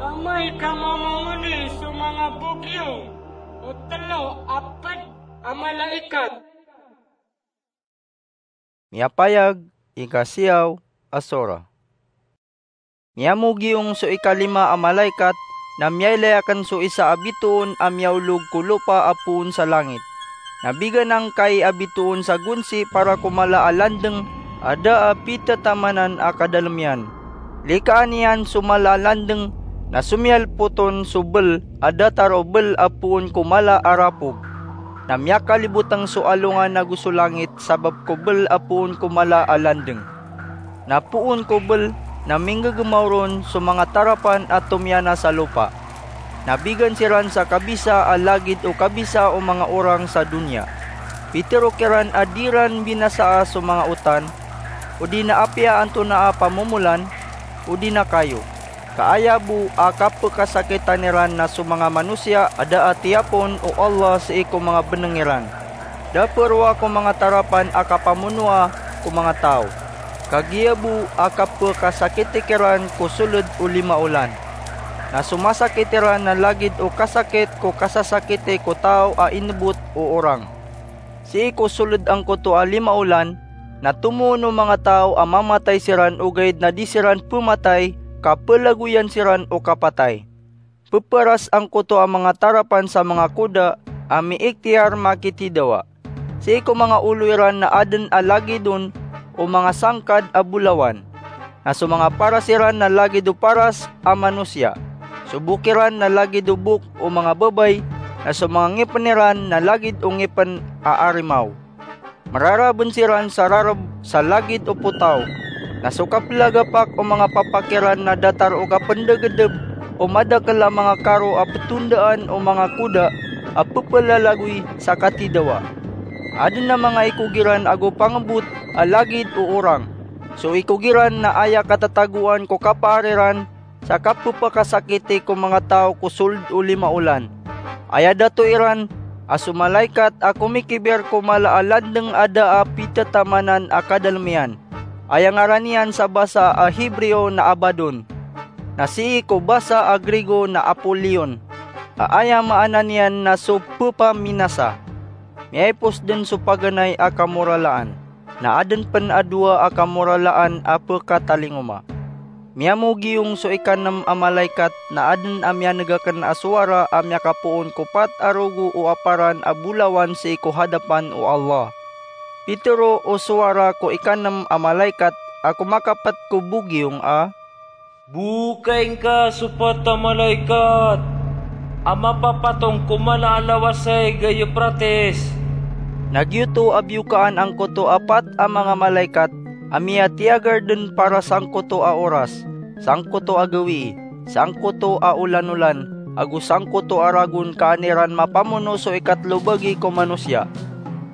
amay ka mamamoni so manga bogiyong o tlo a pd a malaikat." Miyapayag, ikasiyaw a sora. Miyamogiyong so ikalima a malaikat, na miyailay akn so isa a bitoon a miyaolog ko lopa a poon sa langit. Na bigan angkai a bitoon sa gonsi para ko mala a landng a da a pithatamanan a kadalm iyan. Likaan iyan so mala a landng, na somiyalpot on so bl a datar o bl a poon ko mala a rapog. Na miyakalibotng so alongan ago so langit sabap ko bl a poon ko mala a landng. Na poon ko bl na mingggmaw ron so manga tarapan a tomiyana sa lopa. Na bigan siran sa kabisa a lagid o kabisa o manga orang sa doniya. Pitero kiran a di ran binasaa so manga otan, odi na apiya antonaa a pamomolan, odi na kayo. Ka aya bo a kapekasakitan iran na so manga manosiya a da a tiyapon o Allah sii ko manga beneng iran. Da peroa ko manga tarapan a kapamonoa ko manga taw. Kagiya bo a kapekasakiti kiran ko soled o lima olan. Na so masakit iran na lagid o kasakit ko kasasakiti ko taw a inebot o orang. Sii ko soled angkoto a lima olan, na tomo on o manga taw a mamatay siran ogaid na di siran pematay, ka pelagoyan siran o kapatay. Peparas angkoto a manga tarapan sa manga koda a miiktiyar makitidawa. Sii ko manga olo iran na aden a lagid on o manga sangkad a bolawan. Na so manga paras iran na lagid o paras a manosiya. So bok iran na lagid o bok o manga babay, na so manga ngipen iran na lagid o ngipen a arimaw. Mararaben siran sa rareb sa lagid o potaw. Na so kapelagapak o manga papak iran na datar o kapendegedeb o madakel a manga karo a petondaan o manga koda a pepelalagoy sa katidawa. Aden a manga ikog iran ago pangebot a lagid o orang. So ikog iran na aya katatagoan ko kapaar iran sa kapepakasakiti ko manga taw ko soled o lima olan. Aya dato iran a so malaikat a komikiber ko mala a landeng a da a pitatamanan a kadalem iyan. Aya ngaran iyan sa basa a Hebreo na Abaddon, na sii ko basa a Grigo na Apollyon, a aya maana niyan na so pepaminasa. Miyaipos den so paganay a kamoralaan, na aden pen a dowa a kamoralaan a pekatalingoma. Miyamogiyong so ikanem a malaikat na aden a miyanegaken a sowara a miyakapoon ko pat a rogo o aparan a bolawan sii ko hadapan o Allah. Pitero o sowara ko ikanem a malaikat a komakapet ko bogiyong a, "Bokaing ka so pat a malaikat a mapapatong ko mala a lawas ay ga Euphrates." Na giyoto a biyokaan angkoto a pat a manga malaikat a miyatiyagar den para sangkoto a oras, sangkoto a gawii, sangkoto a olan-olan, ago sangkoto a ragon ka an iran mapamono so ikatlo bagi ko manosiya.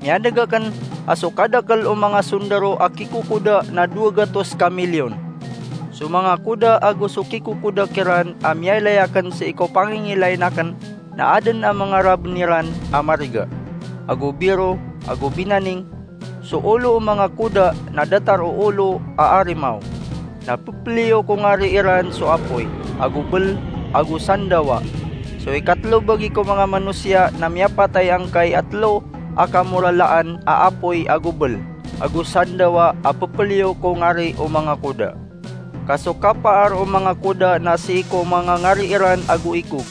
Miyanegaken a so kadakel o manga sondaro a kikokoda na dowa gatos ka milyon. So manga koda ago so kikokoda kiran a miyailayaken sii ko pangingilainaken na aden a manga raben iran a mariga, ago biro, ago binaning. So olo o manga koda na datar o olo a arimaw. Na pepeliyo ko ngari iran so apoy, ago bel, ago sandawa. So ikatlo bagi ko manga manosiya na miyapatay angkai a telo a kamoralaan a apoy ago bel, ago sandawa a pepeliyo ko ngari o manga koda. Ka so kapaar o manga koda na sii ko manga ngari iran ago ikog.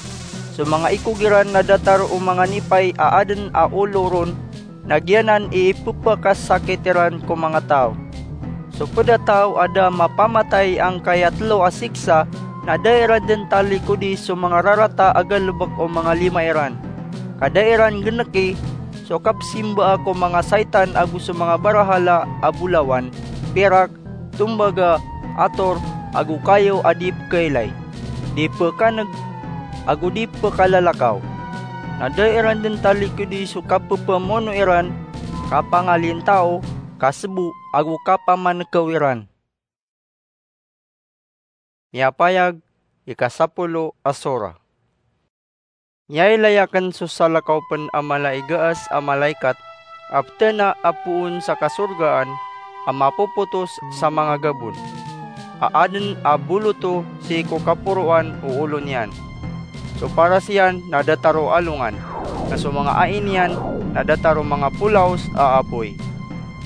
So manga ikog iran na datar o manga nipay a aden a olo ron, na giyanan i ipepakasakit iran ko manga taw. So ped a taw a da mapamatay angkai a telo a siksa, na da iran den talikodi so manga rarata a galebek o manga lima iran. Ka da iran geneki so kapsimbaa ko manga saitan ago so manga barahala a bolawan, pirak, tombaga, ator, ago kayo a di pekailay, di pekaneg, ago di pekalalakaw. Na da iran den talikodi so kapepamono iran, kapangalin taw, kasebo, ago kapamanekew iran. Miyapayag, ikasapolo a sora. Miyailayaken so salakaw pen a mala i gaas a malaikat a petena a poon sa kasorgaan a mapopotos sa manga gabon a aden a boloto sii ko kaporoan o olo niyan. So paras iyan na datar o alongan, na so manga ai niyan na datar o manga polaos a apoy.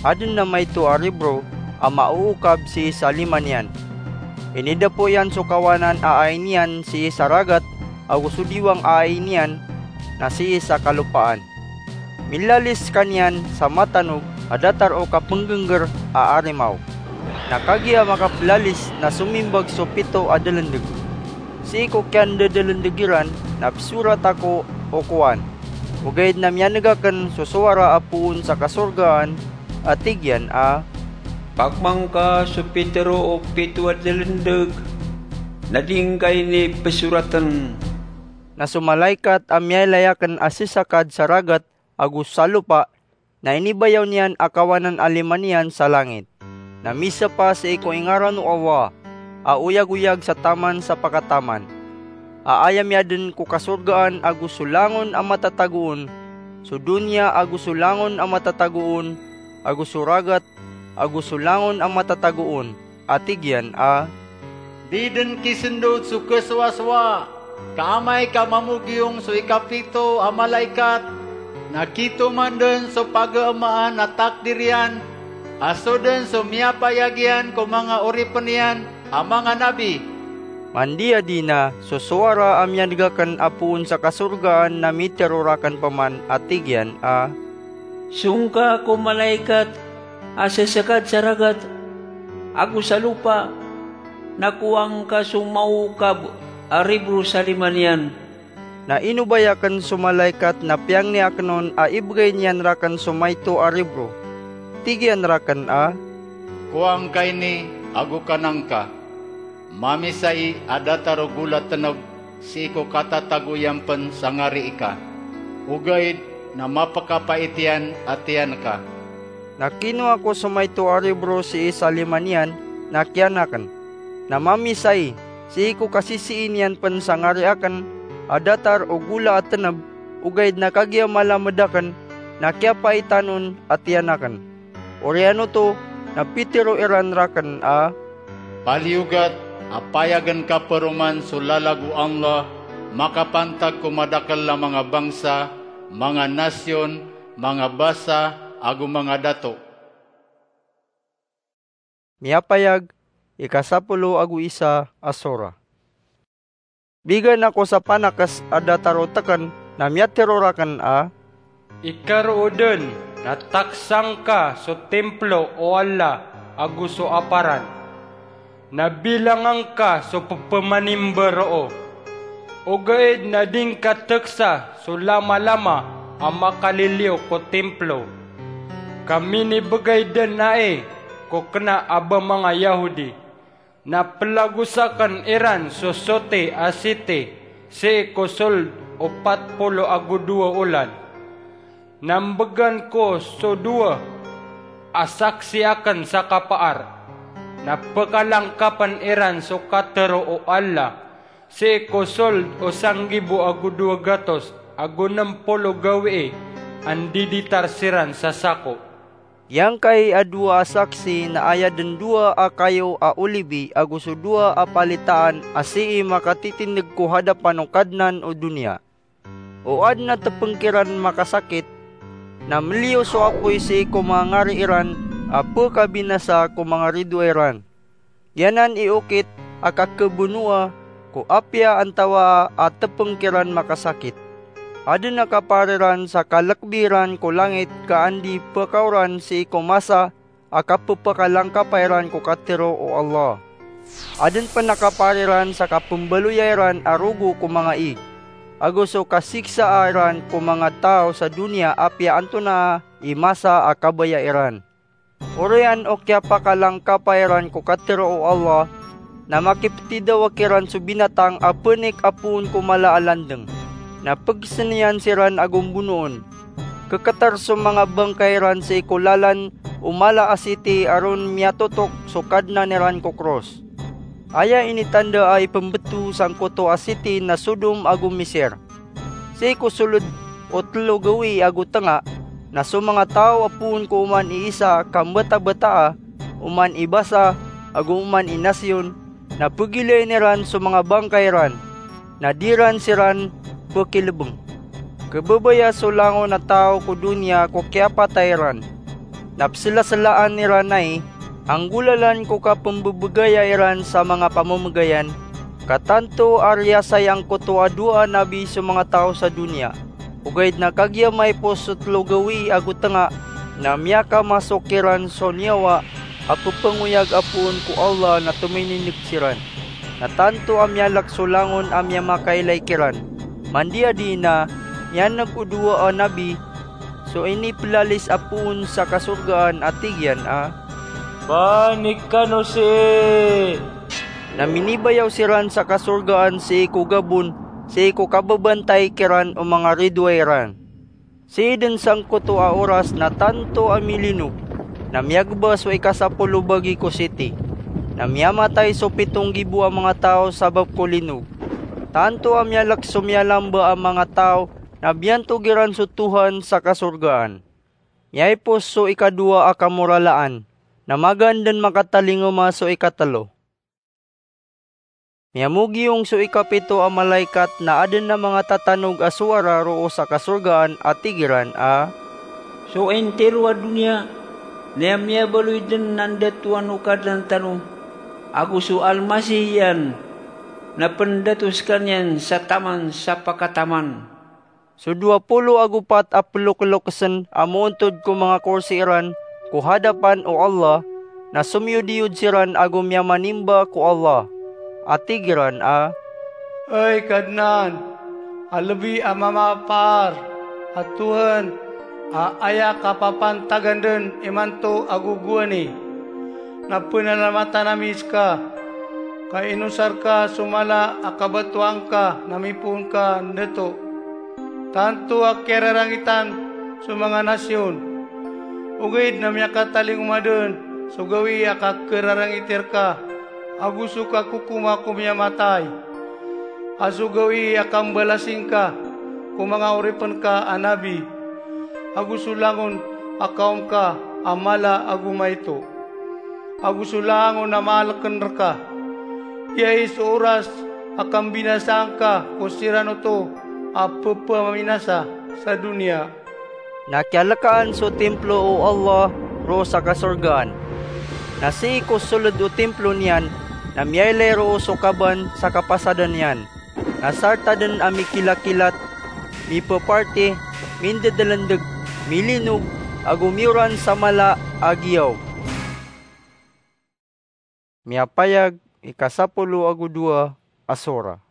Aden a maito a ribro a maookab sii sa lima niyan. Inidapo iyan so kawanan a ai niyan sii sa ragat, ago so diwang a ai niyan na sii sa kalopaan. Milalis skaniyan sa matanog a datar o kapenggengger a arimaw. Na kagiya makapelalis na somimbag so pito a delendeg. Sii ko kiyandedalendeg iran na pesorat ako o kowan. Ogaid na miyanegaken so sowara a poon sa kasorgaan a tig iyan a, "Pakmangka so pitero o pito a delendeg na di ngka ini pesoraten." Na so malaikat a miyailay akn a sisakad sa ragat ago sa lopa, na inibayaw niyan a kawanan a lima niyan sa langit. Na misapa sii ko ingaran o Allah a oyagoyag sa taman sa pakataman, a aya miyadn ko kasorgaan ago so langon a matatago on, so doniya ago so langon a matatago on, ago so ragat ago so langon a matatago on, a tig iyan a, "Di dn kisndod so kasowasowa, ka amay ka mamogiyong so ikapito a malaikat, na kitoman dn so pagamaan a takdir iyan, a so dn so miyapayag iyan ko manga oripn iyan a manga nabi." Mandiyadi na so sowara a miyadg akn a poon sa kasorgaan na mitero rakn pman a tig iyan a, "Song ka ko malaikat a sasakad sa ragat ago sa lopa, na kowaa ngka so mawokab a ribro sa lima niyan." Na inobay akn so malaikat na piyangni akn on a ibgay niyan rakn so maito a ribro. Tig iyan rakn a, "Kowaa ngka ini ago kanan ka. Mamisai a datar o gola tnb sii ko katatago iyan pn sa ngarii ka, ogaid na mapkapait iyan a tiyan ka." Na kinowa ko so maito a ribro sii sa lima niyan, na kiyan akn. Na mamisai sii ko kasisii niyan pn sa ngari akn a datar o gola a tnb, ogaid na kagiya malamed akn, na kiyapaitan on a tiyan akn. Oriyan oto na pitero iran rakn a, "Paliyogat a payagn ka paroman so lalag o Allah, makapantag ko madakl a manga bangsa, manga nasyon, manga basa, ago manga dato." Miyapayag, ikasapolo ago isa a sora. Bigan ako sa panakes a datar o teken na miyatero raken a, "Ikaroo den na taksa ngka so templo o Allah ago so aparan, na bilanga ngka so pepemanimba roo. Ogaid na di ngka teksa so lamalama a makaliliyo ko templo, ka minibegay den ai ko kena a ba manga Yahudi. Na pelagosaken iran so soti a siti sii ko sold o pat polo ago dowa olan. Na mbegan ko so dowa a saksi aken sa kapaar, na pekalangkapen iran so katero o Allah sii ko sold o sanggibo ago dowa gatos ago nem polo gawii a ndiditar siran sa sako." Giyangkai a dowa a saksi na aya den dowa a kayo a olibi ago so dowa a palitaan a sii makatitindeg ko hadapan o Kadnan o doniya. O aden a tepeng kiran makasakit, na meliyo so apoy sii ko manga ngari iran a pekabinasa ko manga ridoay ran. Giyanan i okit a kakebenowa ko apiya antawaa a tepeng kiran makasakit. Aden a kapaar iran sa kalekbi ran ko langit ka andi pekaoran sii ko masa a kapepakalangkapa iran ko katero o Allah. Aden pen a kapaar iran sa kapembaloya iran a rogo ko manga ig, ago so kasiksaa iran ko manga taw sa doniya apiya antonaa i masa a kabaya iran. Oriyan o kiyapakalangkapa iran ko katero o Allah, na makipetidawek iran so binatang a penik a poon ko mala a landeng, na pegeseniyan siran ago mbonoon. Keketer so manga bangkay ran sii ko lalan o mala a siti a ron miyatotok so Kadnan iran ko kros. Aya initandaa i pembeto sangkoto a siti na Sodom ago Miser. Sii ko soled o telo gawii ago tenga, na so manga taw a poon ko oman i isa a kambatabataa, oman i basa, ago oman i nasyon, na pegilayin iran so manga bangkay ran, na di ran siran pekilebeng. Kebebaya so langon a taw ko doniya ko kiyapatay ran. Na peselaselaan iran ai a nggolalan ko kapembebegaya iran sa manga pamemegayan, ka tanto a riyasay angkoto a dowa a nabi so manga taw sa doniya. Ogaid na kagiya maipos so telo gawii ago tenga, na miyakamasok kiran so niyawa a pepengoyag a poon ko Allah na tominineg siran. Na tanto a miyalek so langon a miyamakailay kiran. Mandiyadi na miyaneg o dowa a nabi so inipelalis a poon sa kasorgaan a tig iyan a, "Panik kano sii!" Na minibayaw siran sa kasorgaan sii ko gabon sii ko kababantay kiran o manga ridoay ran. Sii dn sangkoto a oras na tanto a milinog, na miyagba so ikasapolo bagi ko siti, na miyamatay so pitong gibo a manga taw sabap ko linog. Tanto a miyalk so miyalamba a manga taw, na biyantog iran so Tuhan sa kasorgaan. Miyaipos so ikadowa a kamoralaan, na magaan dn makatalingoma so ikatlo. Miyamogiyong so ikapito a malaikat na adn a manga tatanog a sowara roo sa kasorgaan a tig iran a, "So intiro a doniya, na miyabaloy dn a ndatoan o Kadnan tano, ago so Almasih iyan, na pndato skaniyan sa taman sa pakataman." So dowa polo ago pat a ploklokesn a moontod ko manga korsi iran ko hadapan o Allah, na somiyodiyod siran ago miyamanimba ko Allah, a tig iran a, "Hay Kadnan, a lbi a mamapaar, a Tuhan, a aya kapapantagan dn imanto ago gowani, na pnalamatan ami ska, ka inosar ka so mala a kabatoan ka na mipoon ka ndato. Tanto a kiyararangitan so manga nasiyon, ogaid na miyakatalingoma dn so gawii a kakerarangiti rka, ago so kakokoma ko miyamatay, a so gawii a kambalasi ngka ko manga oripn ka a nabi, ago so langon a kaom ka a mala ago maito, ago so langon a maalkn rka. Giyai so oras a kambinasaan ka ko siran oto a pphaminasa sa doniya." Na kiyalkaan so timplo o Allah roo sa kasorgaan. Na sii ko soled o timplo niyan, na miyailay roo so kaban sa kapasadan iyan. Na sarta dn a mikilakilat, mipeparti, mindedlendeg, milinog, ago miyoran sa mala a giyaw. Miyapayag, ikasapolo ago dowa a sora.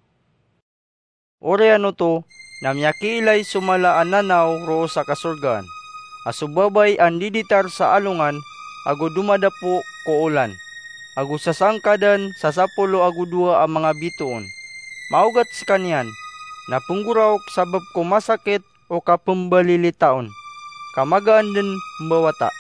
Oriyan oto, na miyakiilay so mala a nanaw roo sa kasorgaan, a so babay a ndiditar sa alongan ago domadapo ko olan, ago sasangkadan sa sapolo ago dowa a manga bitoon. Maogat skaniyan, na pnggoraok sabap ko masakit o kapmbalilitaon, ka magaan dn mbawata.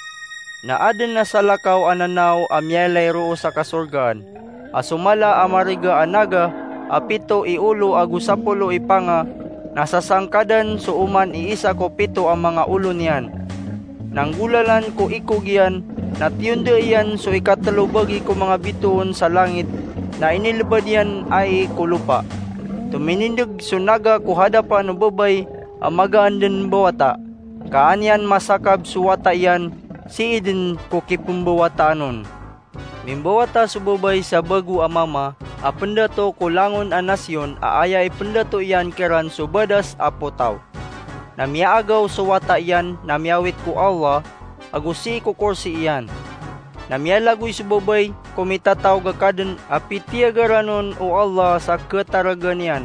Na adn a salakaw a nanaw a miyailay roo sa kasorgaan, a so mala a mariga a naga a pito i olo ago sapolo i panga, na sasangkadan so oman i isa ko pito a manga olo niyan. Na nggolalan ko ikog iyan, na tiyonda iyan so ikatlo bagi ko manga bitoon sa langit, na inilbad iyan ai ko lopa. Tominindeg so naga ko hadapan o babay a magaan dn mbawata, ka an iyan masakab so wata iyan sii dn ko kipmbawataan on. Mimbawata so babay sa bago a mama a pndato ko langon a nasiyon a aya ipndato iyan kiran so badas a potaw. Na miyaagaw so wata iyan na miyawit ko Allah ago sii ko korsi iyan. Na miyalagoy so babay ko mitataog a kadn a pitiyagaran on o Allah sa kataragan iyan,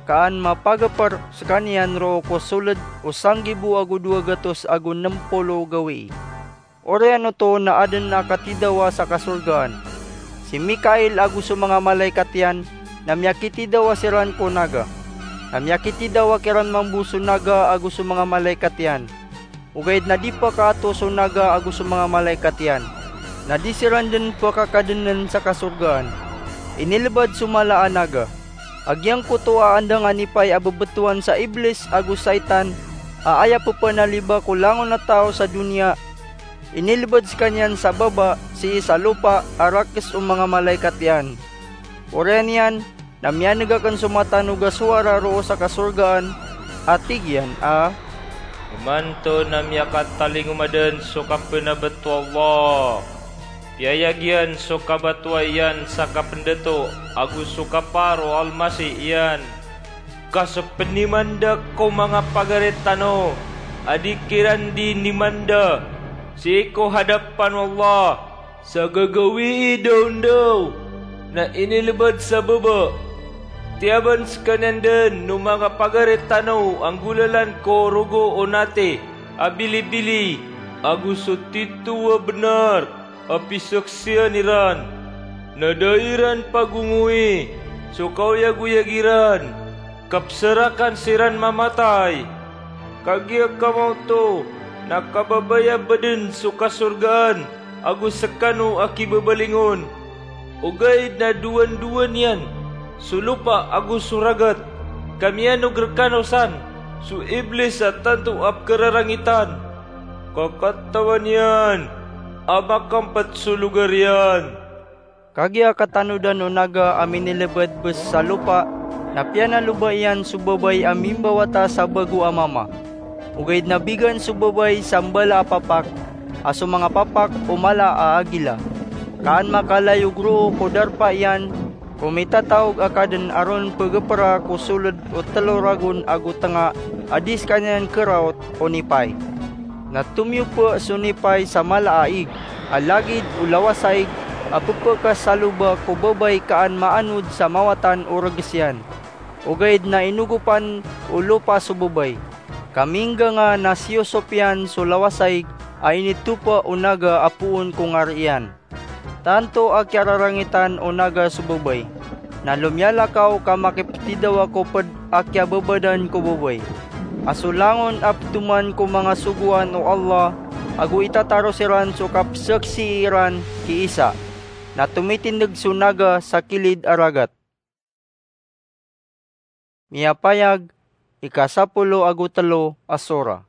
ka an mapagpr skaniyan roo ko soled o sanggibo ago dowa gatos ago nm polo gawii. Oriyan oto na adn a katidawa sa kasorgaan. Si Mikail ago so manga malaikat iyan, na miyakitidawa siran ko naga. Na miyakitidawa kiran mambo so naga ago so manga malaikat iyan. Ogaid na di pakaato so naga ago so manga malaikat iyan, na di siran dn pakakadnn sa kasorgaan. Inilbad so mala a naga. A giyangkoto a andangan i pay a bbtowan sa Iblis ago Saitan, a aya ppanaliba ko langon a taw sa doniya, inilbad skaniyan sa baba sii sa lopa a rakes o manga malaikat iyan. Oriyan iyan, na miyaneg akn so matanog a sowara roo sa kasorgaan a tig iyan a, "Imanto na miyakatalingoma dn so kapnabt o Allah. Piyayag iyan so kabatoa iyan sa kapndato ago so kapaar o Almasih iyan, ka so pnimanda ko manga pagari tano a di kiran di nimanda sii ko hadapan o Allah sa gagawii dawndaw, na inilbad sa baba. Tiyaban skaniyan dn o manga pagari tano a nggolalan ko rogo o nati a bilibili, ago so tito a bnar a pisaksian iran, na da iran pagongoi so kaoyagoyag iran." Kapsarakan siran mamatay. Kagiya kamaoto na kababaya baden so kasorgaan ago sekano a kibabalingon. Ogaid na dowandowan iyan so lopa ago so ragat, ka miyanog rekano san so Iblis a tanto a pekerarangitan. Ka katawan iyan a makampet so logar iyan. Kagiya katanodan o naga a minilebed bes sa lopa, na piyanaloba iyan so babay a mimbawata sa bago a mama. Ogaid na bigan so babay sa mbala a papak, a so manga papak o mala a agila. Ka an makalayog roo ko darpa iyan ko mitataog a kaden a ron pegepera ko soled o telo ragon ago tenga a di sekaniyan keraot o nipay. Na tomiyope so nipay sa mala a ig, a lagid o lawasaig a pepekasaloba ko babay ka an maanod sa mawatan o reges iyan. Ogaid na inogopan o lopa so babay. Ka mingganga na siyosop iyan so lawasaig a initopa o naga a poon ko ngari iyan. Tanto a kiyararangitan o naga so babay, na lomiyalakaw ka makipetidawa ko ped a kiyababadan ko babay. A so langon a petoman ko manga sogoan o Allah, ago itataro siran so kapesaksii iran ki Isa. Na tomitindeg so naga sa kilid a ragat. Miyapayag, ika sapolo ago telo a sora.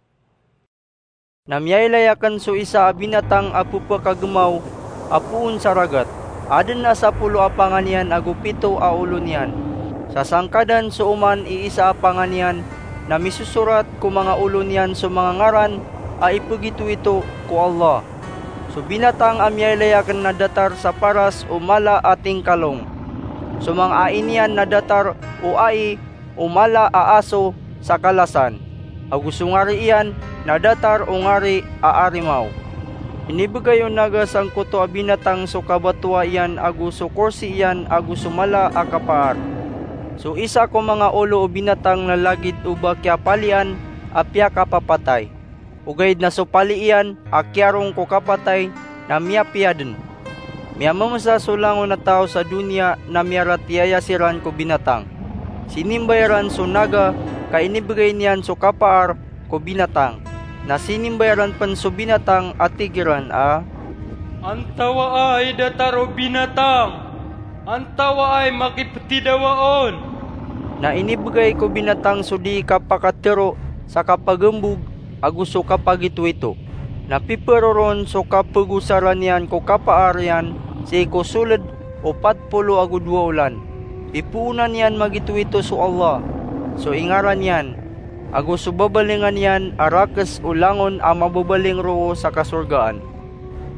Na miyailay aken so isa a binatang a pepakagemaw a poon sa ragat. Aden a sapolo a pangan iyan ago pito a olo niyan. Sa sangkadan so oman i isa a pangan iyan, na misosorat ko manga olo niyan so manga ngaran a ipegitoito ko Allah. So binatang a miyailay aken na datar sa paras o mala a tingkalong. So manga ai niyan na datar o ai o mala a aso sa kalasan, ago so ngari iyan na datar o ngari a arimaw. Inibegay o naga sangkoto a binatang so kabatoa iyan ago so korsi iyan ago so mala a kapaar. So isa ko manga olo o binatang na lagid o ba kiyapalian a piyakapapatay. Ogaid na so pali iyan a kiyarong ko kapatay na miyapiya den. Miyamemesa so langon a taw sa doniya na miyaratiyaya siran ko binatang. Sinimba iran so naga ka inibegay niyan so kapaar ko binatang. Na sinimba iran pen so binatang a tig iran a, "Antawaa i datar o binatang? Antawaa i makipetidawa on?" Na inibegay ko binatang so di kapakatero sa kapagembog ago so kapagitoito. Na piperoron so kapegosaran iyan ko kapaar iyan sii ko soled o pat polo ago dowa olan. Pipoonan iyan magitoito so Allah, so ingaran iyan, ago so babalingan iyan a rakes o langon a mababaling roo sa kasorgaan.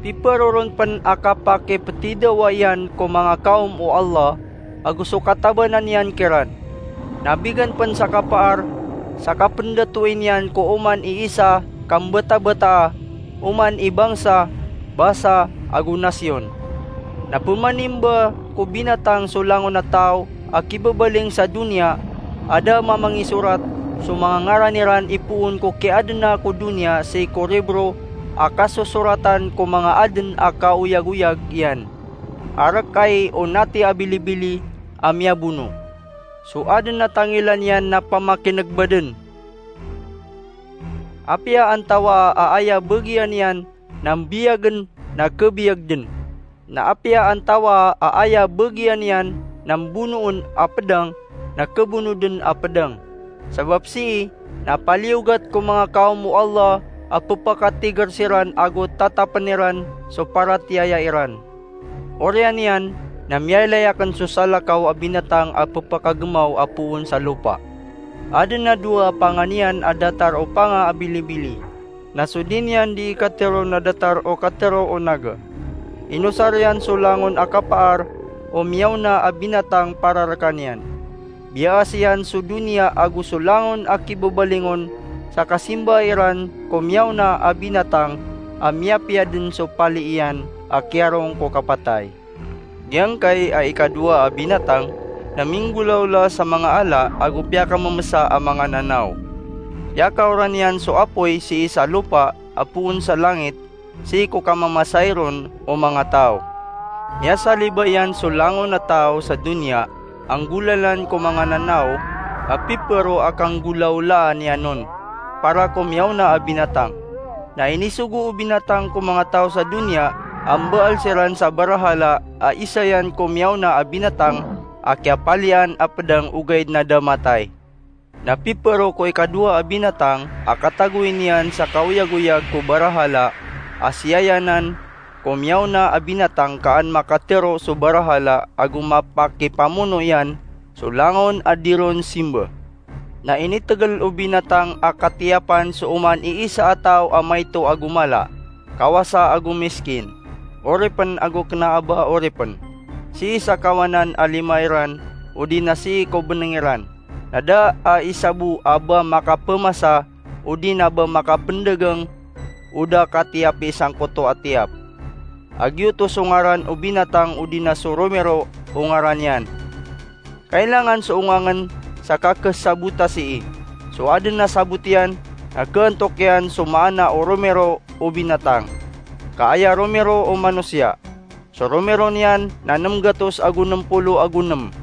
Piperoron pen a kapakipetidawa iyan ko manga kaom o Allah, ago so katabanan iyan kiran. Na bigan pen sa kapaar, sa kapendatoin iyan ko oman i isa ka mbetabeta, oman i bangsa, basa, ago nasiyon. Na pemanimba ko binatang so langon a taw a kibabaling sa doniya, a da mamangisorat so manga ngaran iran ipoon ko kiadena ko doniya sii ko ribro a kasosoratan ko manga aden a kaoyagoyag iyan. Arekay o nati a bilibili a miyabono. So aden a tangila niyan na pamakinegba den. Apiya antawaa a aya bagian iyan na mbiyagen na kebiyag den. Na apiya antawaa a aya bagian iyan na mbonoon a pedang na kebono den a pedang. Sabap sii na paliyogat ko manga kaom o Allah a pepakatiger siran ago tatapen iran so paratiyaya iran. Oriyan iyan na miyailay aken so salakaw a binatang a pepakagemaw a poon sa lopa. Aden a dowa a pangan iyan a datar o panga a bilibili. Na so di niyan di ikatero na datar o katero o naga. Inosar iyan so langon a kapaar o miyaona a binatang para rekaniyan. Biyaas iyan so doniya ago so langon a kibabalingon sa kasimba iran ko miyaona a binatang a miyapiya den so pali iyan a kiyarong ko kapatay. Giyangkai a ikadowa a binatang na minggolawla sa manga ala ago piyakamemesa a manga nanaw. Piyakaoran iyan so apoy sii sa lopa a poon sa langit sii ko kamamasai ron o manga taw. Miyasaliba iyan so langon a taw sa doniya a nggolalan ko manga nanaw, a pipero a kanggolawlaan iyan on, para ko miyaona a binatang. Na inisogo o binatang ko manga taw sa doniya a mbaal siran sa barahala a isa iyan ko miyaona a binatang a kiyapalian a pedang ogaid na da matay. Na pipero ko ikadowa a binatang a katagoy niyan sa kaoyagoyag ko barahala a siyayanan ko miyaona a binatang ka an makatero so barahala ago mapakipamono iyan so langon a di ron simba. Na initegel o binatang a katiyapan so oman iisa a taw a maito ago mala, kawasa ago miskin, oripen ago kena a ba oripen, sii sa kawanan a lima iran, odi na sii ko beneng iran, na da a isa bo a ba makapemasa odi na ba makapendagang o da katiyapi sangkoto a tiyap. A giyoto so ngaran o binatang odi na so romero o ngaran iyan. Kailangan so ongangen sa kakesabota sii. So aden a sabot iyan na kaantok iyan so maana o romero o binatang, ka aya romero o manosiya. So romero niyan na nem gatos ago nem polo ago nem.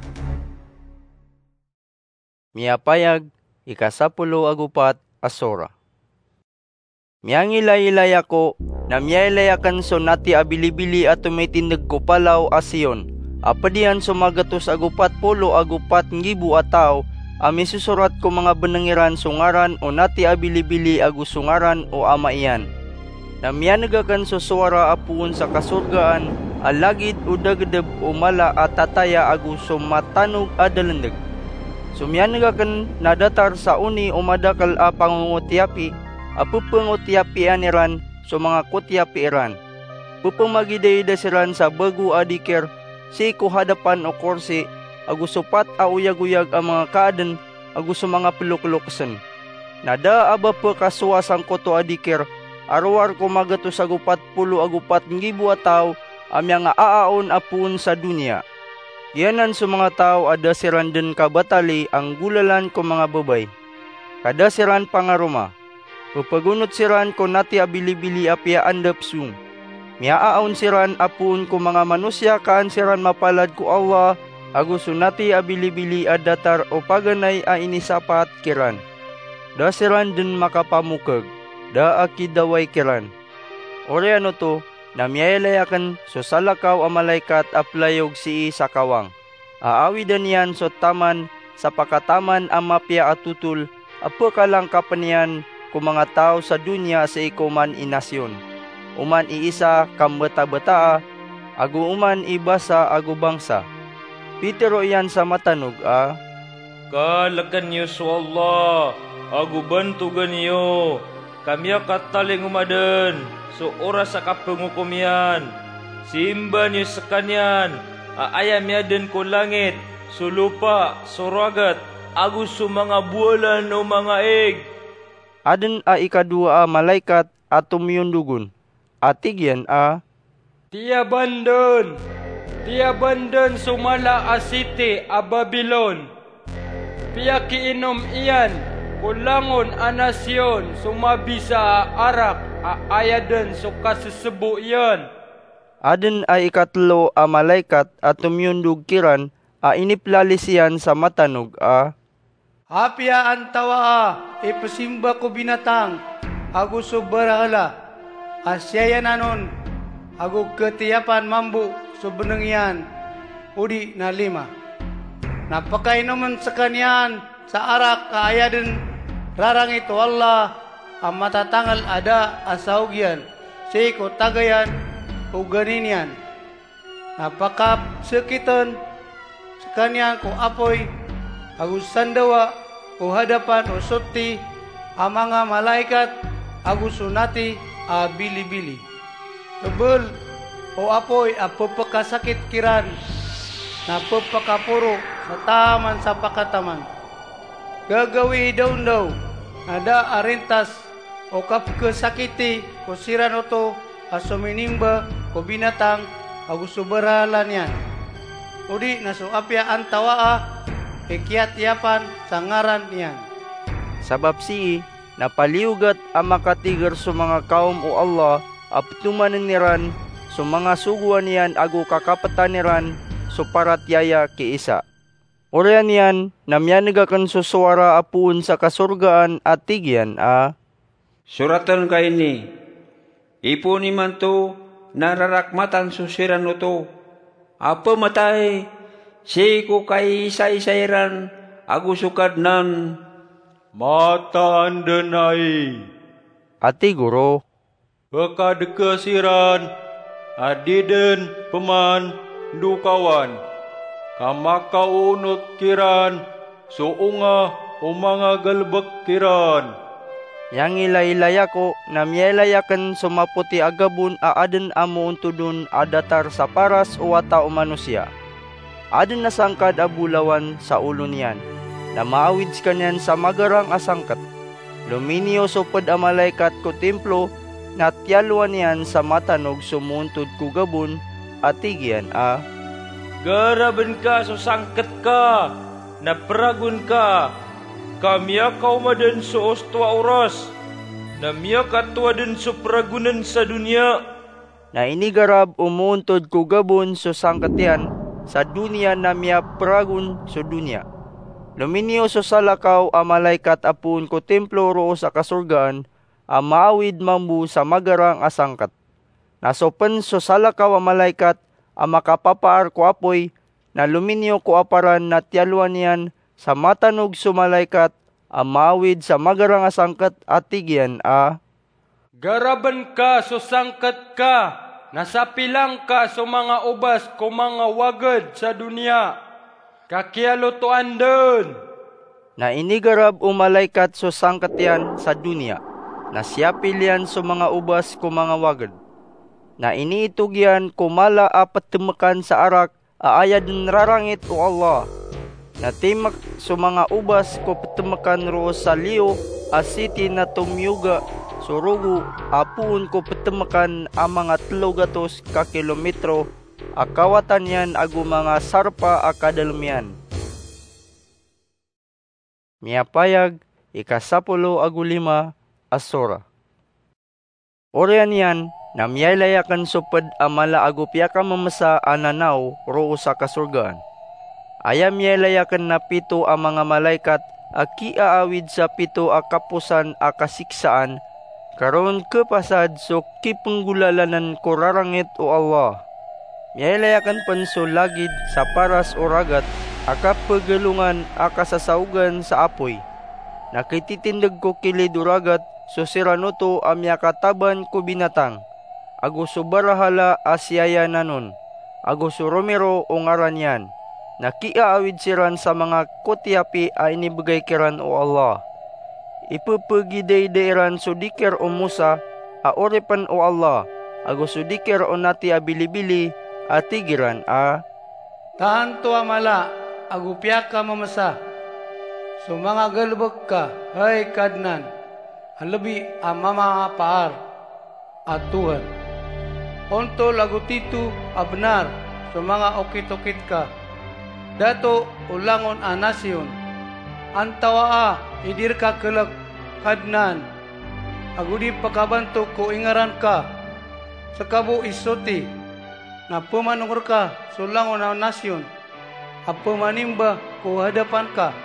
Miyapayag, ika sapolo ago pat a sora. Miyangilaylay ako, na miyailay aken so nati a bilibili a tomitindeg ko palaw a Sion, a ped iyan so magatos ago pat polo ago pat nggibo a taw a misosorat ko manga beneng iran so ngaran o nati a bilibili ago so ngaran o Ama iyan. Na miyaneg aken so sowara a poon sa kasorgaan a lagid o dagedeb o mala a tataya ago so matanog a dalendeg. So miyaneg aken na datar sa oni o madakel a pangongotiyapi a pepengotiyapian iran so manga kotiyapi iran. Pepemagidaida siran sa bago a dikir sii ko hadapan o korsi ago so pat a oyagoyag a manga kaaden ago so manga pelokelokesen. Na da a ba pekasowa sangkoto a dikir a rowar ko magatos ago pat polo ago pat nggibo a taw a miyangaaon a poon sa doniya. Giyanan so manga taw a da siran den kabatali a nggolalan ko manga babay, ka da siran pangaroma. Pepegonot siran ko nati a bilibili a piyaandap song. Miyaaon siran a poon ko manga manosiya ka an siran mapalad ko Allah ago so nati a bilibili a datar o paganay a inisapaat kiran. Da siran den makapamokeg, da a kidaway kiran. Oriyan oto na miyailay aken so salakaw a malaikat a pelayog sii sa kawang, a awidan iyan so taman sa pakataman a mapiya a totol a pekalangkapen iyan ko manga taw sa doniya sii ko oman i nasyon, oman i isa ka mbetabetaa, ago oman i basa ago bangsa. Pitero iyan sa matanog a, "Kaleken iyo so Allah, ago bentogen iyo, ka miyakatalingoma den so oras a kapengokom iyan. Simba niyo sekaniyan a aya miyaden ko langit, so lopa, so ragat, ago so manga bowalan o manga ig." Aden a ikadowa a malaikat a tomiyondog on, a tig iyan a, "Tiyaban den, tiyaban den so mala a siti a Babilon. Piyakiinom iyan ko langon a nasyon so mabisa a arak a aya den so kasesebo iyan." Aden a ikatelo a malaikat a tomiyondog kiran a iniplalis iyan sa matanog a, "Apiya antawaa i pesimba ko binatang ago so barahala a siyayanan on ago ketiyapan mambo so beneng iyan odi na lima, na pekainomen sekaniyan sa arak a aya den rarangit o Allah a matatangel a da a saogian sii ko tagayan o gani niyan. Na pakapsekiten sekaniyan ko apoy ago sandawa ko hadapan o sotti a manga malaikat ago so nati a bilibili. Tebel o apoy a pepekasakit kiran, na pepekaporo sa taman sa pakataman. Gagawii daondaw, na da a rintas o kapekesakiti ko siran oto a sominimba ko binatang ago so barahala niyan, odi na so apiya antawaa i kiyatiyapan sa ngaran iyan." Sabap sii na paliyogat a makatiger so manga kawm o Allah a petomanen iran so manga sogoan iyan ago kakapetan iran so paratiyaya ki Isa. Oriyan iyan na miyaneg aken so sowara a poon sa kasorgaan a tig iyan a, "Soraten ka ini, ipoon imanto na rarakmatan so siran oto a pematay sii ko kaiisaisa iran ago so Kadnan." "Mataan den ai," a tig o Ro, "pekadekes iran a di den pemandokawan, ka makaoonot kiran so onga o manga galebek kiran." Miyangilaylay ako na miyailay aken so mapoti a gabon a aden a moontod on a datar sa paras o wata o manosiya. Aden a sangkad a bolawan sa olo niyan, na maawid sekaniyan sa magarang a sangket. Lominiyo so ped a malaikat ko templo, na tiyalowan iyan sa matanog so moontod ko gabon, a tig iyan a, "Garaben ka so sangket ka, na peragon ka, ka miyakaoma den so osto a oras, na miyakatowa den so peragonen sa doniya." Na inigarab o moontod ko gabon so sangket iyan sa doniya na miyaperagon so doniya. Lominiyo so salakaw a malaikat a poon ko templo roo sa kasorgaan a maawid mambo sa magarang a sangket. Na so pen so salakaw a malaikat a makapapaar ko apoy, na lominiyo ko aparan na tiyalowan iyan sa matanog so malaikat a maawid sa magarang a sangket a tig iyan a, "Garaben ka so sangket ka, na sapilang ka so manga obas ko manga waged sa doniya, ka kiyalotoan den." Na inigarab o malaikat so sangket iyan sa doniya, na siyapil iyan so manga obas ko manga waged. Na iniitog iyan ko mala a petemekan sa arak a aya den rarangit o Allah. Na timek so manga obas ko petemekan roo sa liyo a siti na tomiyoga so rogo a poon ko petemekan a manga telo gatos ka kilometro a kawatan iyan ago manga sarpa a kadalem iyan. Miyapayag, ikasapolo ago lima a sora. Oriyan iyan na miyailay aken so ped a mala ago piyakamemesa a nanaw roo sa kasorgaan. Aya miyailay aken na pito a manga malaikat a kiaawid sa pito a kaposan a kasiksaan, ka ron kepasad so kipenggolalanen ko rarangit o Allah. Miyailay aken pen so lagid sa paras o ragat a kapegalongan a kasasaogan sa apoy. Na kititindeg ko kilid o ragat so siran oto a miyakataban ko binatang, ago so barahala a siyayanan on, ago so romiro o ngaran iyan. Na kiaawid siran sa manga kotiyapi a inibegay kiran o Allah. Ipepegidayday iran so dikir o Musa a oripen o Allah, ago so dikir o nati a bilibili, a tig iran a, "Tanto a mala ago piyakamemesa so manga galebek ka, hay Kadnan, a lebi a mamapaar a Tuhan. Ontol ago tito a benar so manga okit-okit ka. Dato o langon a nasiyon. Antawaa i di reka kelek, Kadnan, ago di pekabanto ko ingaran ka. Seka bo i soti na pemanong reka so langon a nasiyon a pemanimba ko hadapan ka,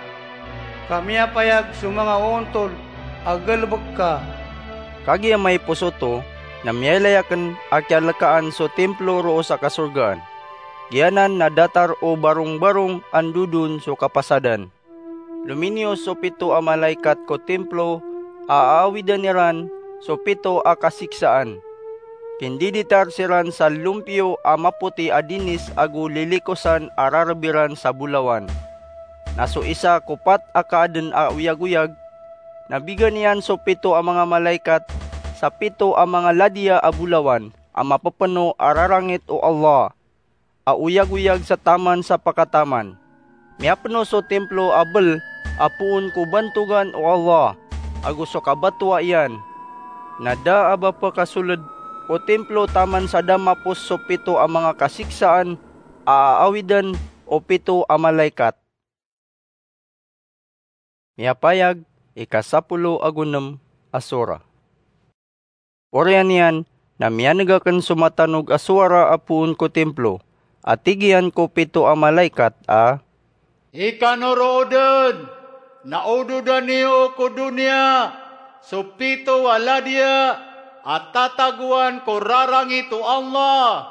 ka miyapayag so manga oontol a galebek ka." Kagiya maipos oto, na miyailay aken a kiyalekaan so templo roo sa kasorgaan. Giyanan na datar o barong-barong a ndodon so kapasadan. Lominiyo so pito a malaikat ko templo a aawidan iran so pito a kasiksaan. Kindiditar siran sa lompiyo a mapoti a dinis ago lilikosan a rareb iran sa bolawan. Na so isa ko pat a kaaden a oyagoyag, na bigan iyan so pito a manga malaikat sa pito a manga ladiya a bolawan a mapepeno a rarangit o Allah, a oyagoyag sa taman sa pakataman. Miyapeno so templo a bel a poon ko bantogan o Allah ago so kabatoa iyan. Na da a ba pekasoled o templo taman sa da mapos so pito a manga kasiksaan a aawidan o pito a malaikat. Miyapayag, ikasapolo ago nem a sora. Oriyan iyan na miyaneg aken so matanog a sowara a poon ko templo, a tig iyan ko pito a malaikat a, Ikanorood dn na ododan iyo ko doniya so pito a ladiya a tatagoan ko rarangit o Allah.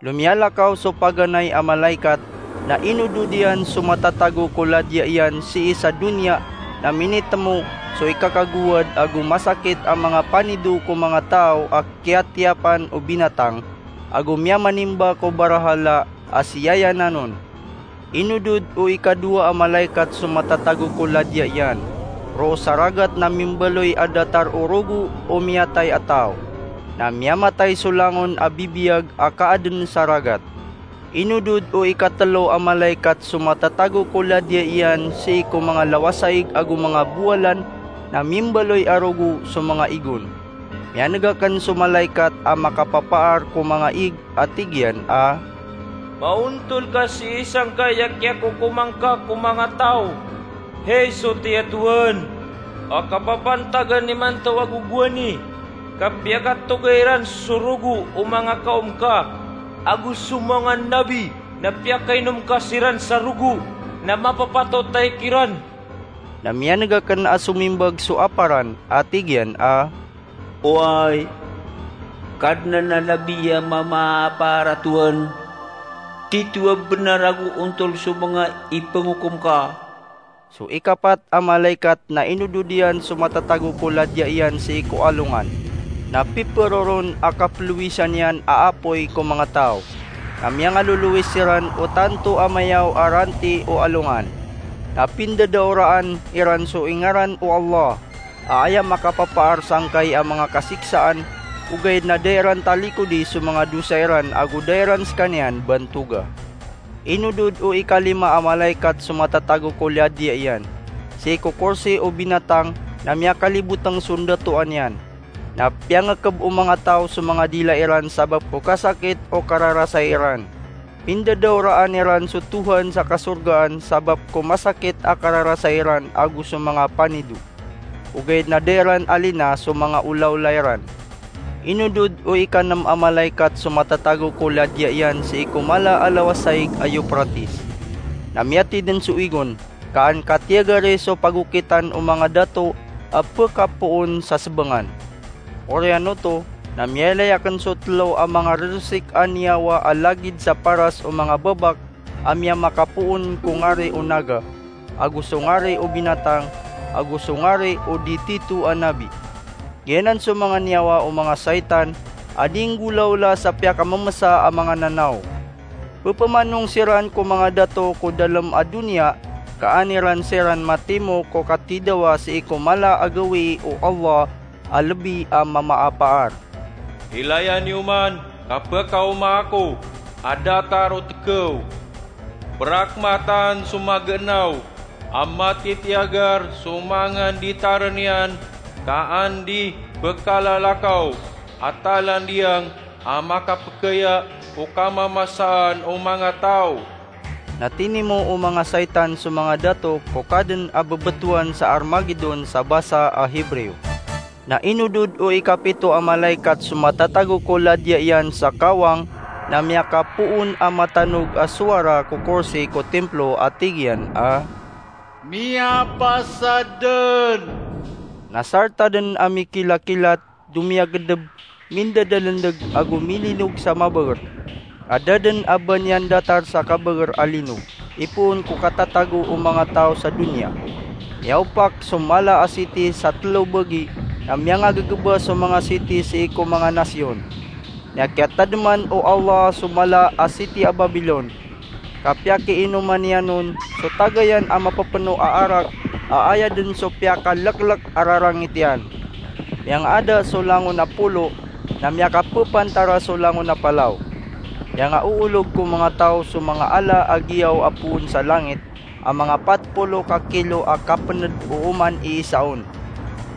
Lomiyalakaw so paganay a malaikat, na inodod iyan so matatago ko ladiya iyan sii sa doniya, na minitemo so ikakagowad ago masakit a manga panido ko manga taw a kiyatiyapan o binatang, ago miyamanimba ko barahala a siyayanan on. Inodod o ikadowa a malaikat so matatago ko ladiya iyan, roo sa ragat na mimbaloy a datar o rogo o miyatay a taw, na miyamatay so langon a bibiyag a kaadn sa ragat. Inodod o ikatelo a malaikat so matatago ko ladiya iyan sii ko manga lawasaig ago manga bowalan, na mimbaloy a rogo so manga igon. Miyaneg akn so malaikat a makapapaar ko manga ig a tig iyan a, "Maontol ka sii sangkai a kiyakokoman ka ko manga taw, hay so tiyatowan, a kapapantagan imanto a gogowani, ka piyakatoga iran so rogo o manga kaom ka, ago so manga nabi, na piyakainom ka siran sa rogo, na mapapatot a ikiran." Na miyaneg akn a somimbag so aparan a tig iyan a, "Oway, Kadnan a labi a mamaapaar a Tohan, tito a bnar ago ontol so manga ipangokom ka." So ikapat a malaikat na inodod iyan so matatago ko ladiya iyan sii ko alongan, na pipero ron a kaplowisan iyan a apoy ko manga taw, na miyangalolowis siran o tanto a mayaw a ranti o alongan, na pindadaoraan iran so ingaran o Allah, a aya makapapaar sangkai a manga kasiksaan, ogaid na da iran talikodi so manga dosa iran ago da iran skaniyan bantoga. Inodod o ikalima a malaikat so matatago ko ladiya iyan sii ko korsi o binatang, na miyakalibotng so ndatoan iyan, na piyangkb o manga taw so manga dila iran sabap ko kasakit o kararasay iran. Pindadaoraan iran so Tohan sa kasorgaan sabap ko masakit a kararasay iran ago so manga panido, ogaid na da iran alina so manga olaola iran. Inodod o ikanm a malaikat so matatago ko ladiya iyan sii ko mala a lawasaig a Euphrates, na miyati dn so igon, ka an katiyagari so pagokitan o manga dato a pkapoon sa sbangan. Oriyan oto, na miyailay akn so tlo a manga rrsik a niyawa a lagid sa paras o manga babak a miyamakapoon ko ngari o naga, ago so ngari o binatang, ago so ngari o di tito a nabi. Giyanan so manga niyawa o manga saitan a di nggolaola sa piyakamamsa a manga nanaw. Ppamanong siran ko manga dato ko dalm a doniya, ka an iran siran matimo ko katidawa sii ko mala a gawii o Allah a lbi a mamaapaar. Ilaya niyo man ka pkaoma ako a datar o tkaw. Prakmatan so maganaw a matitiyagar so manga nditarn iyan, ka an di pkalalakaw a talandiyang a makapkaya o kamamasaan o manga taw. Na tinimo o manga saitan so manga dato ko kadn a bbtowan sa Armagedon sa basa a Hebreo. Na inodod o ikapito a malaikat so matatago ko ladiya iyan sa kawang, na miyakapoon a matanog a sowara ko korsi ko templo a tig iyan a, "Miyapasad dn!" Na sarta dn a mikilakilat, domiyagdb, mindadalndg ago milinog sa mabaer, a da dn a ba niyan datar sa kabaer a linog, ipoon ko katatago o manga taw sa doniya. Miyaopak so mala a siti sa tlo bagi, na miyangaggba so manga siti sii ko manga nasiyon. Miyakiyatadman o Allah so mala a siti a Babilon, ka piyakiinoman iyan on so tagayan a mapepeno a arak, a aya dn so piyakaleklek a rarangit iyan. Miyangaada so langon a polo, na miyakapepantara so langon a palaw. Miyangaoolog ko manga taw so manga ala a giyaw a poon sa langit, a manga pat polo ka kilo a kapnd o oman iisa on.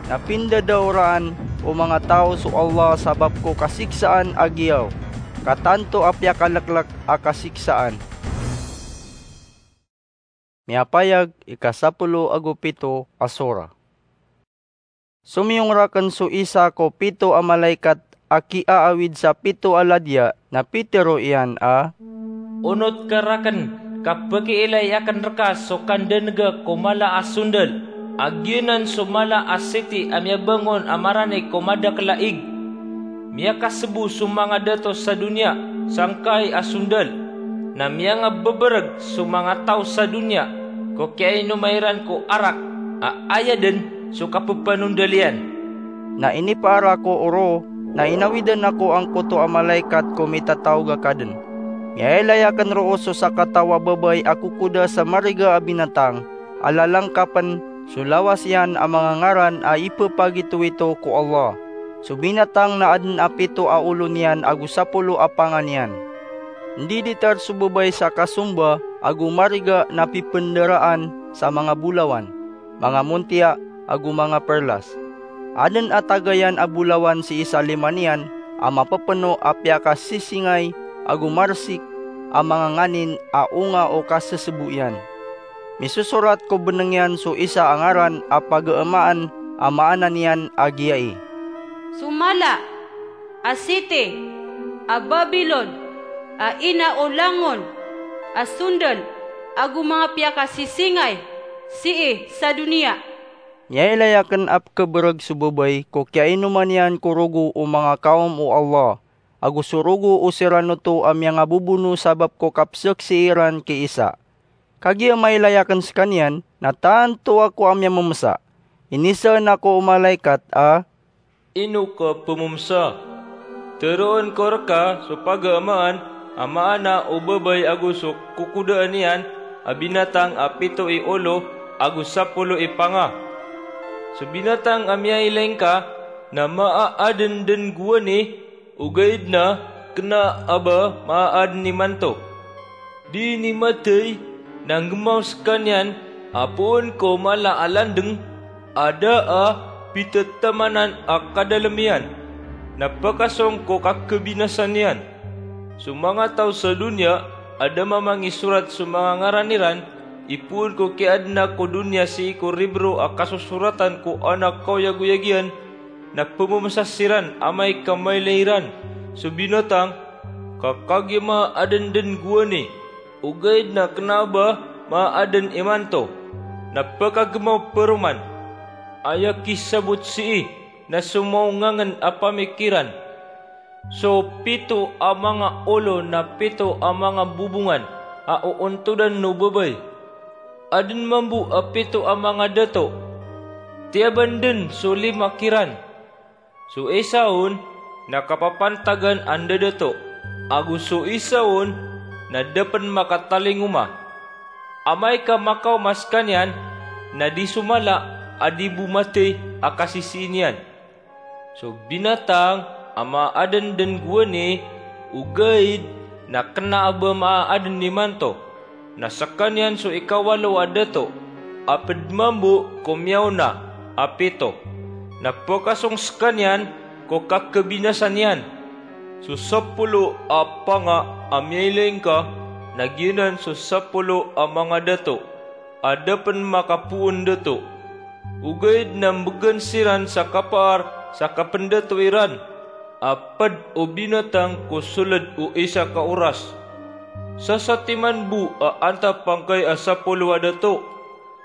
Na pindadaoraan o manga taw so Allah sabap ko kasiksaan a giyaw, ka tanto a piyakaleklek a kasiksaan. Miyapayag, ikasapolo ago pito a sora. Somiyong rakn so isa ko pito a malaikat a kiaawid sa pito a ladiya, na pitero iyan a, "Onot ka rakn, Ka pekiilay aken reka so kandenega ko mala a sondel, a giyanan so mala a siti a miyabangon a marani ko madakel a ig. Miyakasebo so manga dato sa doniya sangkai a sondel, na miyangabebereg so manga taw sa doniya ko kiyainoma iran ko arak a aya den so kapepanondal iyan. Na inipaar ako o roo, na inawidan ako angkoto a malaikat ko mitataog a kaden. Miyailay aken roo so sakataw a babay a kokoda sa mariga a binatang, a lalangkapen so lawas iyan a manga ngaran a ipepagitowito ko Allah. So binatang na aden a pito a olo niyan ago sapolo a panga niyan. Ndiditar so babay sa kasomba ago mariga na pipendaraan sa manga bolawan, manga montiya, ago manga perlas. Aden a taga iyan a bolawan sii sa lima niyan a mapepeno a piyakasisingay ago marsik a manga nganin a onga o kasesebo iyan. Misosorat ko beneng iyan so isa a ngaran a pagaemaan a maana niyan a giyai: So mala a siti a Babilon, a ina o langon a sondel ago manga piyakasisingay sii sa doniya. Miyailay aken a pekebereg so babay ko kiyainoma niyan ko rogo o manga kawm o Allah, ago so rogo o siran oto a miyangabobono sabap ko kapsaksii ran ki Isa. Kagiya mailay aken sekaniyan, na tanto ako a miyamemesa. Inisaan ako o malaikat a, "Ino ka pememesa?" "Teroon ko reka so pagaemaan a maana o babay ago so kokodaan iyan a binatang a pito i olo ago sapolo i panga. So binatang a miyailay ngka na maaden den gowani, ogaid na kena a ba maaden imanto. Di nimatey na nggemaw sekaniyan a poon ko mala a landeng a da a pitetamanan a kadalem iyan, na pekasong ko kakebinasa niyan. So manga taw sa doniya a da mamangisorat so manga ngaran iran, ipoon ko kiyaadena ko doniya sii ko ribro a kasosoratan ko Anak Kaoyagoyag iyan, na pememesa siran amay ka mailay iran so binatang, ka kagiya maaden den gowani, ogaid na kena a ba maaden imanto, na pekagemaw peroman. Aya kisabot sii na so maongangen a pamikiran. So pito a manga olo na pito a manga bobongan a oontodan o babay. Aden mambo a pito a manga dato. Tiyaban den so lima kiran. So isa on na kapapantagan a ndadato, ago so isa on na da pen makatalingoma. Amay ka makaoma sekaniyan, na di so mala a di bo matey a kasisii niyan. So binatang a maaden den gowani, ogaid na kena a ba maaden imanto, na sekaniyan so ikawalo a dato, a ped mambo ko miyaona a pito, na pekasong sekaniyan ko kakebinasa niyan. So sapolo a panga a miyailay ngka, na giyanan so sapolo a manga dato a da pen makapoon dato. Ogaid na mbegan siran sa kapaar sa kapendato iran, a ped o binatang ko soled o isa ka oras. Sasatiman bo a antap angkai a sapolo a dato,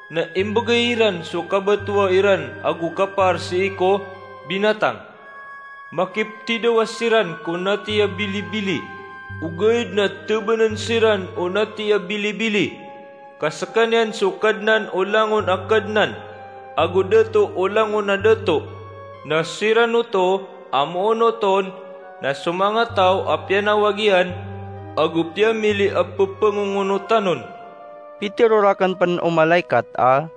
na imbegay iran so kabatoa iran ago kapaar sii ko binatang. Makiptidawa siran ko natiya bilibili, ogaid na tebanen siran o natiya bilibili. Ka sekaniyan so Kadnan o langon a kadnan, ago Dato o langon a dato. Na siran oto a moonot on na so manga taw a piyanawag iyan, ago piyamili a pepangongonotan on. Pitero raken pen o malaikat a,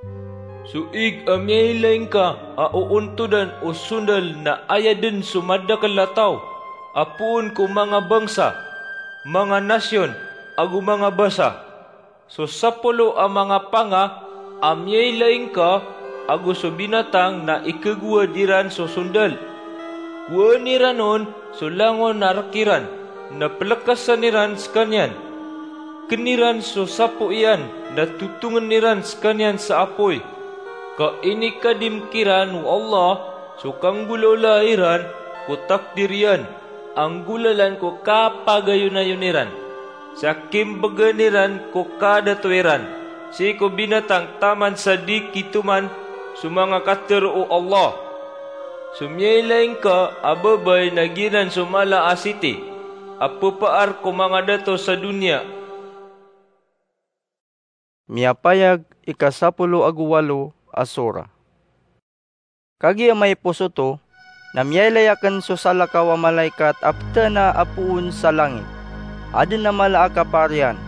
so ig a miyailay ngka a oontodan o sondal na aya den so madakel a taw, a poon ko manga bangsa, manga nasyon, ago manga basa. So sapolo a manga panga a miyailay ngka ago so binatang na ikagowad iran so sondal. Gowani ran on so langon a rek iran, na pelekasan iran sekaniyan. Ken iran so sapo iyan, na totongen iran sekaniyan sa apoy. Ka inikadim kiran o Allah so kanggolawlaa iran ko takdir iyan, a nggolalan ko kapagayonayon iran. sa kimbgan iran ko kadato iran sii ko binatang taman sa di kitoman so manga katharo o Allah. So miyailay ngka a babay na giyanan so mala a siti a pphar ko manga dato sa doniya. Miyapayag ikasapolo ago walo a sura. Kagiya maiposo oto, na miyailay akn so salakaw a malaikat a ptana a poon sa langit. Adn a mala a kaparian,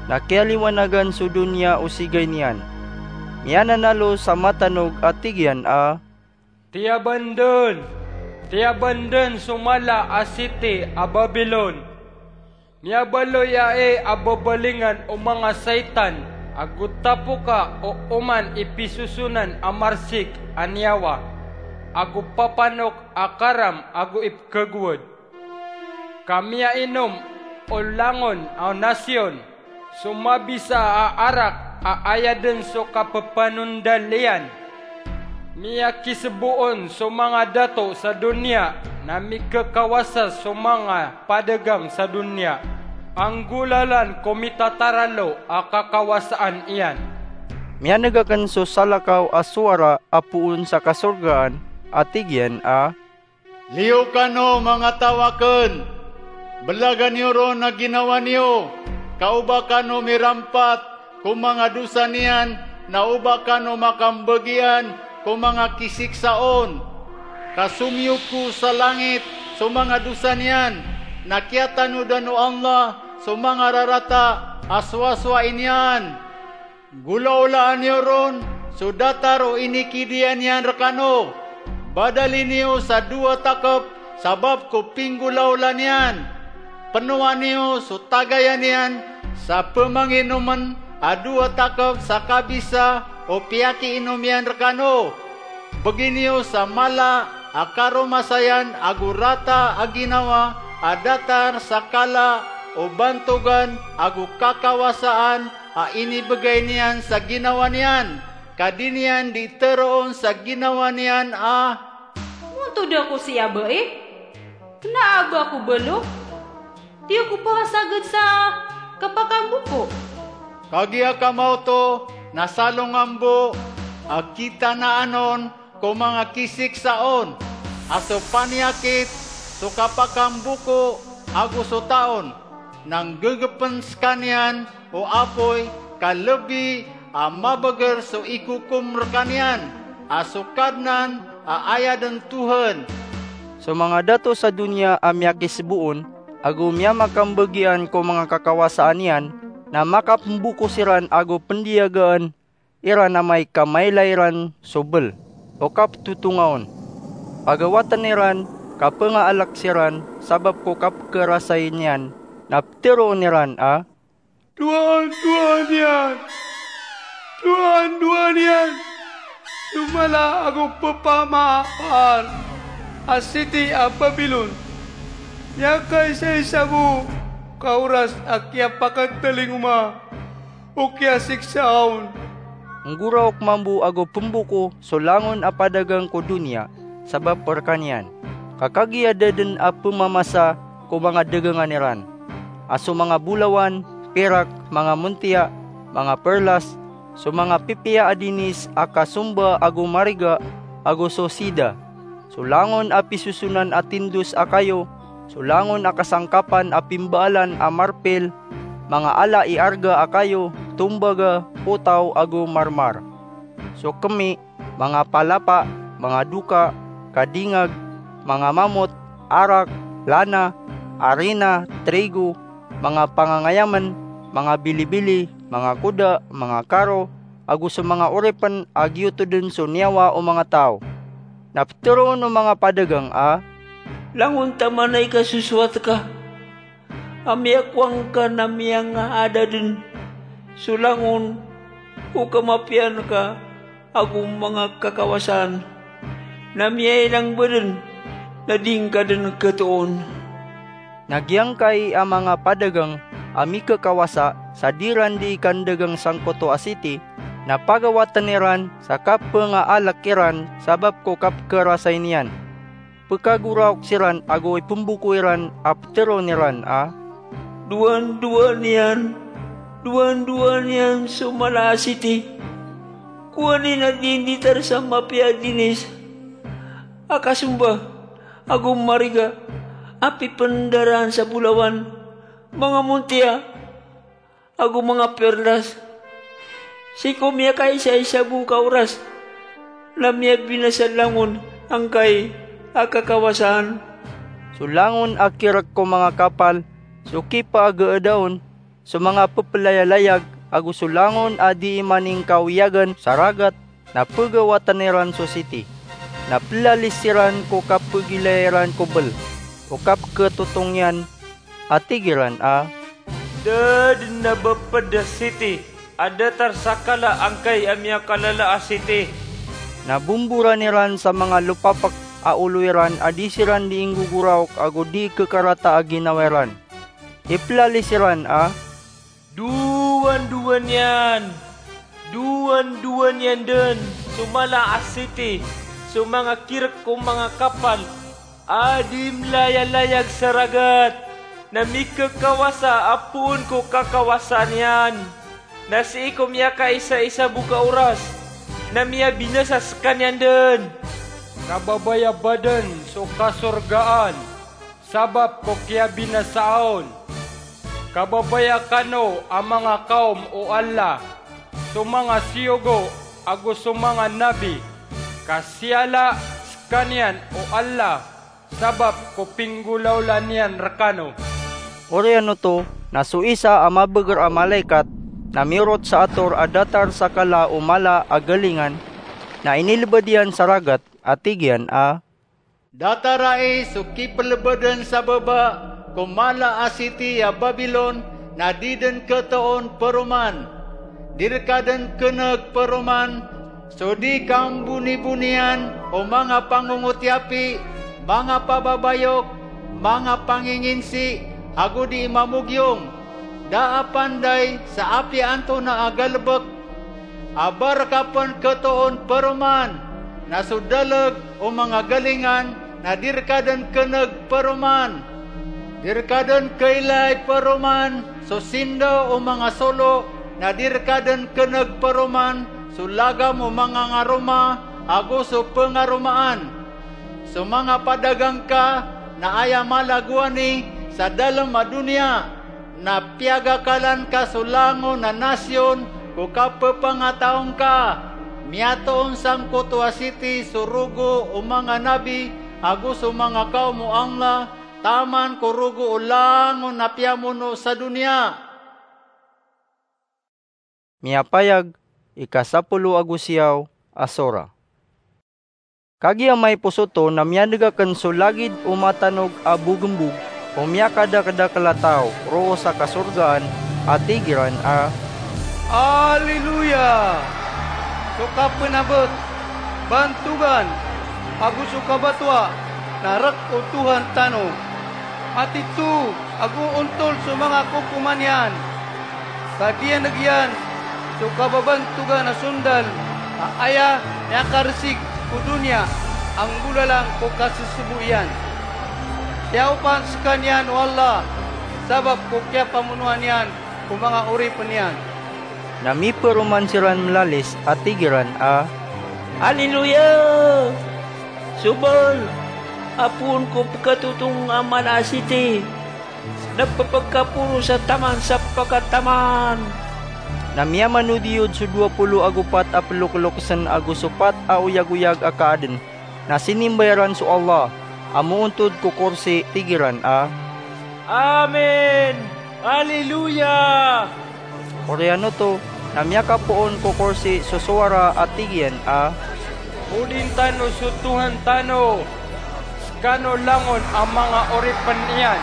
na kiyaliwanagan so doniya o sigay niyan. Miyananalo sa matanog a tig iyan a, "Tiyaban dn! Tiyaban dn so mala a siti a Babilon! Miyabaloy ai a babalingan o manga saitan, ago tapoka o oman i pisosonan a marsik a niyawa, ago papanok a karam ago ipkhagowad. Ka miyainom o langon a nasiyon so mabisa a arak a aya dn so kappanondal iyan. Miyakisbo on so manga dato sa doniya na mikakawasa so manga padagang sa doniya. Anggolalan ko mitataralo a kakawasaan iyan." Miyaneg akn so salakaw a sowara a poon sa kasorgaan a tig iyan a, "Liyo kano, manga taw akn! Belagan iyo ron a ginawa niyo, ka o ba kano mirampat ko manga dosa niyan, na o ba kano makambagian ko manga kisiksa on. Ka somiyoko sa langit so manga dosa niyan, na kiyatanodan o Allah so manga rarata a sowasowai niyan. Golaolaan iyo ron so datar o inikidiya niyan rekano. Badali niyo sa dowa takep sabap ko pinggolaola niyan. Penowa niyo so tagaya niyan sa pemanginomen a dowa takep sa kabisa o piyakiinom iyan rekano. Begi niyo sa mala a karomasayan ago rata a ginawa a datar sa kala o bantogan ago kakawasaan a inibegay niyan sa ginawa niyan, ka di niyan di teroon sa ginawa niyan a." "Montod ako siya bai? Kena a ba ako balo? Di ako pasagad sa kapakamboko." Kagiya kamaoto na salongambo a kitanaan on ko manga kisiksa on, a so paniyakit, so kapakamboko, ago so taon, na nggegepen sekaniyan o apoy, ka lebi a mabeger so ikokom rekaniyan a so Kadnan a aya den Tohan. So manga dato sa doniya a miyakisbo on ago miyamakambagian ko manga kakawasaan iyan na makapemboko siran ago pendiyagaan iran amay ka mailay iran so bel o kapetotonga on. Pagawaten iran ka pengaalek siran sabap ko kapkerasay niyan, na peteroon iran a, "Doan, doan iyan! Doan, doan iyan! So mala ago pepamaapar a siti a Babilon! Miyakaisaisa bo ka oras a kiyapaketelingoma o kiyasiksa on." Nggoraok mambo ago pemboko so langon a padagang ko doniya sabap rekaniyan, ka kagiya da den a pemamasa ko manga dagangan iran, a so manga bolawan, pirak, manga montiya, manga perlas, so manga pipiya a dinis a kasomba ago mariga, ago so sida, so langon a pisosonan a tindos a kayo, so langon a kasangkapan a pimbaalan a marpil, manga ala i arga a kayo, tombaga, potaw, ago marmar, so kemi, manga palapa, manga doka, kadingag, manga mamot, arak, lana, arina, trigo, manga pangangayamen, manga bilibili, manga koda, manga karo, ago so manga oripen a giyoto den so niyawa o manga taw. Na peteroon o manga padagang a, "Langon taman a ikasosowat ka a miyakowa ngka na miyangaada den so langon o kamapiyaan ka ago manga kakawasaan, na miyailang ba den na di ngka den ketoon?" Na giyangkai a manga padagang a mikekawasa sa di ran di ikandagang sangkoto a siti, na pagawaten iran sa kapengaalek iran sabap ko kapkerasay niyan. Pekagoraok siran ago ipemboko iran a peteroon iran a, Dowandowan iyan, dowandowan iyan so mala a siti. Kowaan i na di nditar sa mapiya a dinis a kasomba ago mariga a pipendaraan sa bolawan, manga montiya ago manga perlas. Sii ko miyakaisaisa bo ka oras na miyabinasa langon angkai a kakawasaan. So langon a kirek ko manga kapal, so kipaagaada on, so manga pepelayalayag, ago so langon a dii maningkawiyagan sa ragat, na pegawatan iran so siti. Na pelalis siran ko kapegilaya iran ko bel o kapeketotong iyan, a tig iran a, "Da den a beped a siti a datar sa kala angkai a miyakalala a siti." Na bomboran iran sa manga lopapek a olo iran a di siran di inggogoraok ago di kekarata a ginawa iran. Ipelalis iran a, "Dowandowan iyan, dowandowan iyan den so mala a siti, so manga kirek o manga kapal a di melayalayag sa ragat, na mikekawasa a poon ko kakawasaan iyan. Na sii ko miyakaisaisa bo ka oras na miyabinasa sekaniyan den." Kababaya ba den so kasorgaan sabap ko kiyabinasaan on. Kababaya kano a manga kawm o Allah, so manga siyogo ago so manga nabi, ka siyala sekaniyan o Allah sabap ko pinggolawla niyan rekano. Oriyan oto na so isa a mabeger a malaikat na miyorot sa ator a datar sa kala o mala a galingan, na inilebed iyan sa ragat a tig iyan a, "Datarai so kipelebeden sa baba ko mala a siti a Babilon, na di den ketoon peroman. Di reka den keneg peroman so di kambonibonian o manga pangongotiapi, manga pababayok, manga panginginsi, ago di mamogiyong. Da a panday sa apiya antonaa a galebek a ba reka pen ketoon peroman. Na so daleg o manga galingan na di reka den keneg peroman. Di reka den keilay peroman so sindaw o manga solo, na di reka den keneg peroman so lagam o manga ngaroma ago so pengaromaan. So manga padagang ka na aya mala gowani sa dalem a doniya, na piyagakalan ka so langon a nasiyon ko kapepangataon ka. Miyatoon sangkoto a siti so rogo o manga nabi ago so manga kawm o Allah, taman ko rogo o langon a piyamono sa doniya." Miyapayag, ikasapolo ago siyaw a sora. Kagiya maiposo oto na miyaneg aken so lagid o matanog a bogembog o miyakadakedakel a taw roo sa kasorgaan a tig iran a, "Alleluya! So kapenabet, bantogan, ago so kabatoa na rek o Tohan tano. Matito ago ontol so manga kokoman iyan. Ka diyaneg iyan so kababantogan a sondal a aya miyakaresig ko doniya a nggolalan ko kasesebo iyan. Siyaopan sekaniyan o Allah sabap ko kiyapamonoan iyan ko manga oripen iyan." Na miperoman siran melalis a tig iran a, "Alleluya! So bal a poon ko pekatotong a mala a siti na pepekaporo sa taman sa pekataman." Na miyamanodiyod so dowa polo ago pat a pelokelokesen ago so pat a oyagoyag a kaaden, na sinimba iran so Allah a moontod ko korsi, tig iran a, "Amen! Alleluya!" Oriyan oto na miyakapoon ko korsi so sowara a tig iyan a, "Odin tano so Tohan tano, sekano langon a manga oripen iyan,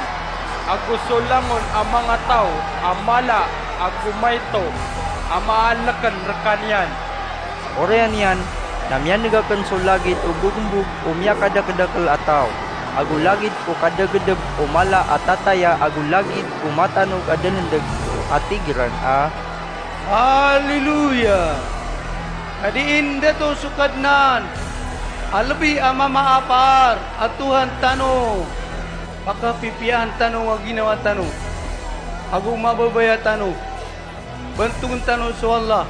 ago so langon a manga taw a mala ago maito a maaleken rekaniyan." Oriyan iyan na miyaneg aken so lagid o bogembog o miyakadakedakel a taw, ago lagid o kadagedeb o mala a tataya, ago lagid o matanog a dalendeg a tig iran a, "Alleluya! Ka dii ndato so Kadnan a lebi a mamaapar a Tohan tano. Pakapipiyaan tano a ginawa tano." ago mababaya tano. Bantogn tano so Allah,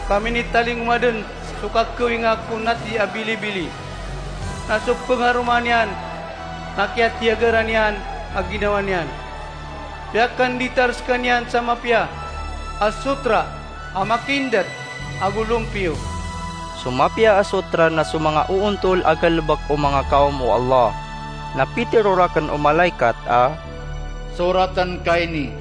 ka minitalingoma dn so kakawinga ko nati a bilibili, na so pngaroma niyan na kiyatiyagaran iyan a ginawa niyan. Piyakanditar skaniyan sa mapiya a sotra a makindat ago lompiyo. So mapiya a sotra na so manga oontol a galbk o manga kawm o Allah. Na pitharo rakn o malaikat a, Soratn ka ini,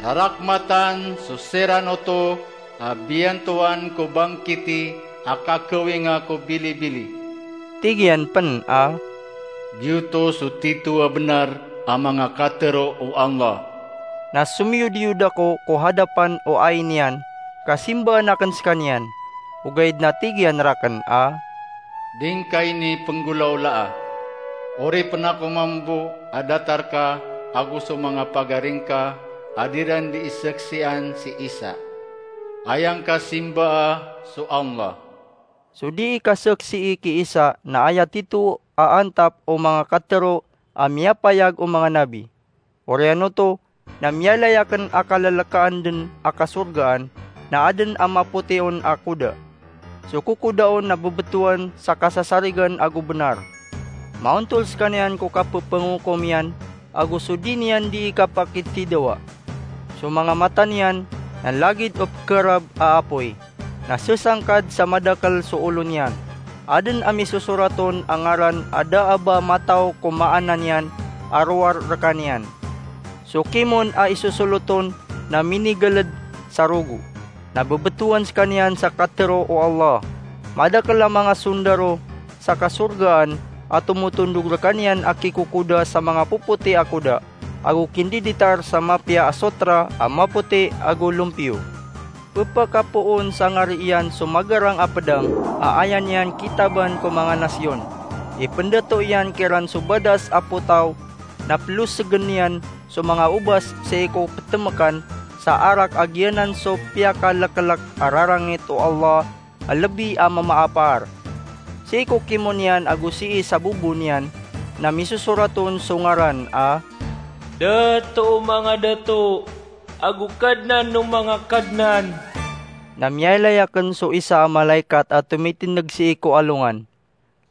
rarakmatan so siran oto a biyantowan ko bangkiti a kakawinga ko bilibili. Tig iyan pn a, Giyoto so tito a bnar a manga katharo o Allah. Na somiyodiyod ako ko hadapan o ain iyan, ka simbaan akn skaniyan. Ogaid na tig iyan rakn a, Di ngka ini pnggolawlaa. Oripn ako mambo a datar ka ago so manga pagari ngka a di ran di isaksian si Isa. Aya ngka simbaa so Allah. So dii kasaksii ki Isa na aya tito a antap o manga katharo a miyapayag o manga nabi. Oriyan oto, na miyalay akn a kalalakaan dn a kasorgaan, na adn a mapotion a koda. So kokoda on na bbtowan sa kasasarigan ago bnar. Maontol skaniyan ko kappangokom iyan, ago so di niyan dii kapakitidawa. So manga mata niyan na lagid o pkharab a apoy, na sasangkad sa madakl so olo niyan. Adn a misosorat on a ngaran a da a ba mataw ko maana niyan a rowar rkaniyan. So kimon a isosolot on na minigaled sa rogo, na bbtowan skaniyan sa katharo o Allah. Madakl a manga sondaro sa kasorgaan a tomotondog rkaniyan a kikokoda sa manga popoti a koda, ago kindiditar sa mapiya a sotra a mapoti ago lompiyo. Pphakapoon sa ngari iyan so magarang a pdang a aya niyan kitaban ko manga nasyon. Ipndato iyan kiran so badas a potaw, na plosgn iyan so manga obas sii ko ptmkan sa arak a giyanan so piyakaleklek a rarangit o Allah a lbi a mamaapar. Sii ko kimon iyan ago sii sa bobo niyan na misosorat on so ngaran a, Dato o manga dato, ago Kadnan o manga kadnan. Na miyailay akn so isa a malaikat a tomitindg sii ko alongan.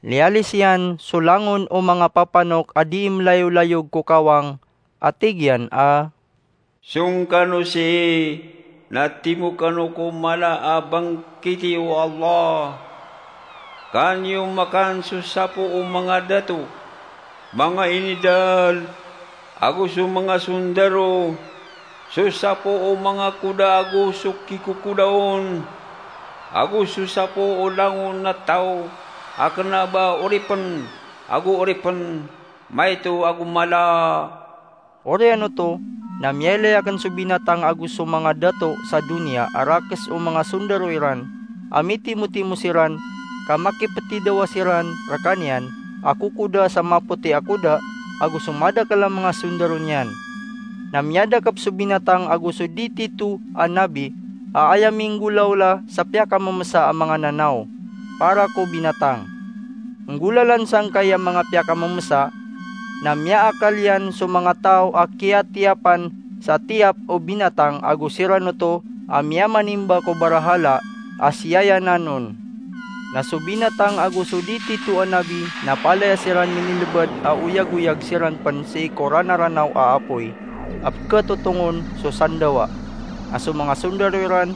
Liyalis iyan so langon o manga papanok a dii mlayolayog ko kawang, a tig iyan a, Song kano sii, na timo kano ko mala a bangkiti o Allah. Kaniyo makan so sapo o manga dato, manga inidal, ago so manga sondaro, so sapo o manga koda ago so kikokoda on, ago so sapo o langon a taw a kna ba oripn ago oripn, maito ago mala. Oriyan oto, na miyailay akn so binatang ago so manga dato sa doniya a rakes o manga sondaro iran, a mitimotimo siran, ka makipetidawa siran rkaniyan a kokoda sa mapoti a koda ago so madakl a manga sondaro niyan. Na miyadakp so binatang ago so di tito a nabi a aya minggolawla sa piyakamemesa a manga nanaw para ko binatang. Nggolalan sangkai a manga piyakamemesa, na miyaakal iyan so manga taw a kiyatiyapan sa tiyap o binatang ago siran oto a miyamanimba ko barahala a siyayanan on. Na so binatang ago so di tito a nabi na palaya siran minilbad a oyagoyag siran pn sii ko ranaranaw a apoy a pkhatotongon so sandawa. Na so manga sondaro iran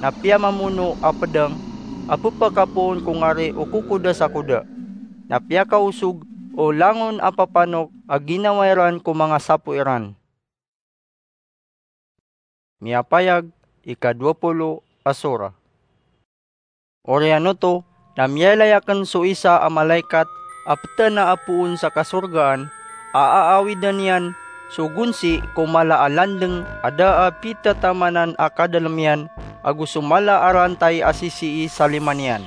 na piyamamono a pdang a pphakapoon ko ngari o kokoda sa koda. Na piyakaosog o langon a papanok a ginawa iran ko manga sapo iran. Miyapayag, ika-dowapolo a sora. Oriyan oto, na miyailay akn so isa a malaikat a ptana a poon sa kasorgaan a aawidan iyan so gonsi ko mala a landng a da a pitatamanan a kadalm iyan ago so mala a rantay a sisii sa lima niyan.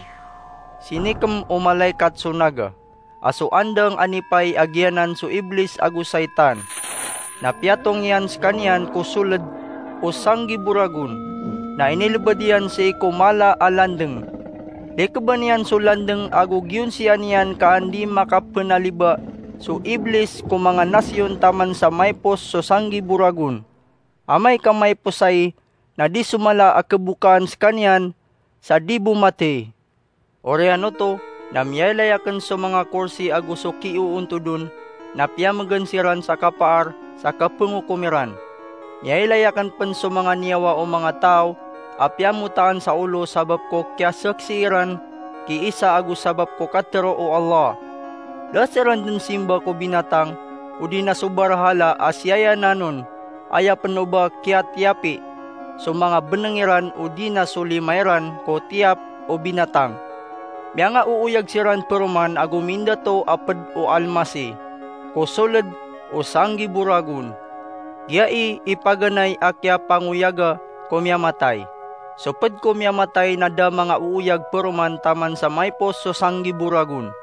Sinikm o malaikat so naga, a so andang a nipay a giyanan so Iblis ago Saitan. Na piyatong iyan skaniyan ko soled o sanggibo ragon, na inilbad iyan sii ko mala a landng. Likban iyan so landng ago giyonsian iyan ka an di makapnaliba so Iblis ko manga nasyon taman sa maipos so sanggibo ragon. Amay ka maiposay, na di so mala a kebokaan sekaniyan sa di bo matey. Oriyan oto, na miyailay aken so manga korsi ago so kioontod on, na piyamegen siran sa kapaar sa kapengokom iran. Miyailay aken pen so manga niyawa o manga taw a piyamotaan sa olo sabap ko kiyasaksi iran ki Isa ago sabap ko katero o Allah. Da siran den simba ko binatang, odi na so barahala a siyayanan on, aya pen o ba kiyatiyapi so manga beneng iran odi na so lima iran ko tiyap o binatang. Miyangaooyag siran peroman ago mindato a ped o almasi ko soled o sanggibo ragon. Giyai i paganay a kiyapangoyaga ko miyamatay. So ped ko miyamatay na da mangaooyag peroman taman sa maipos so sanggibo ragon.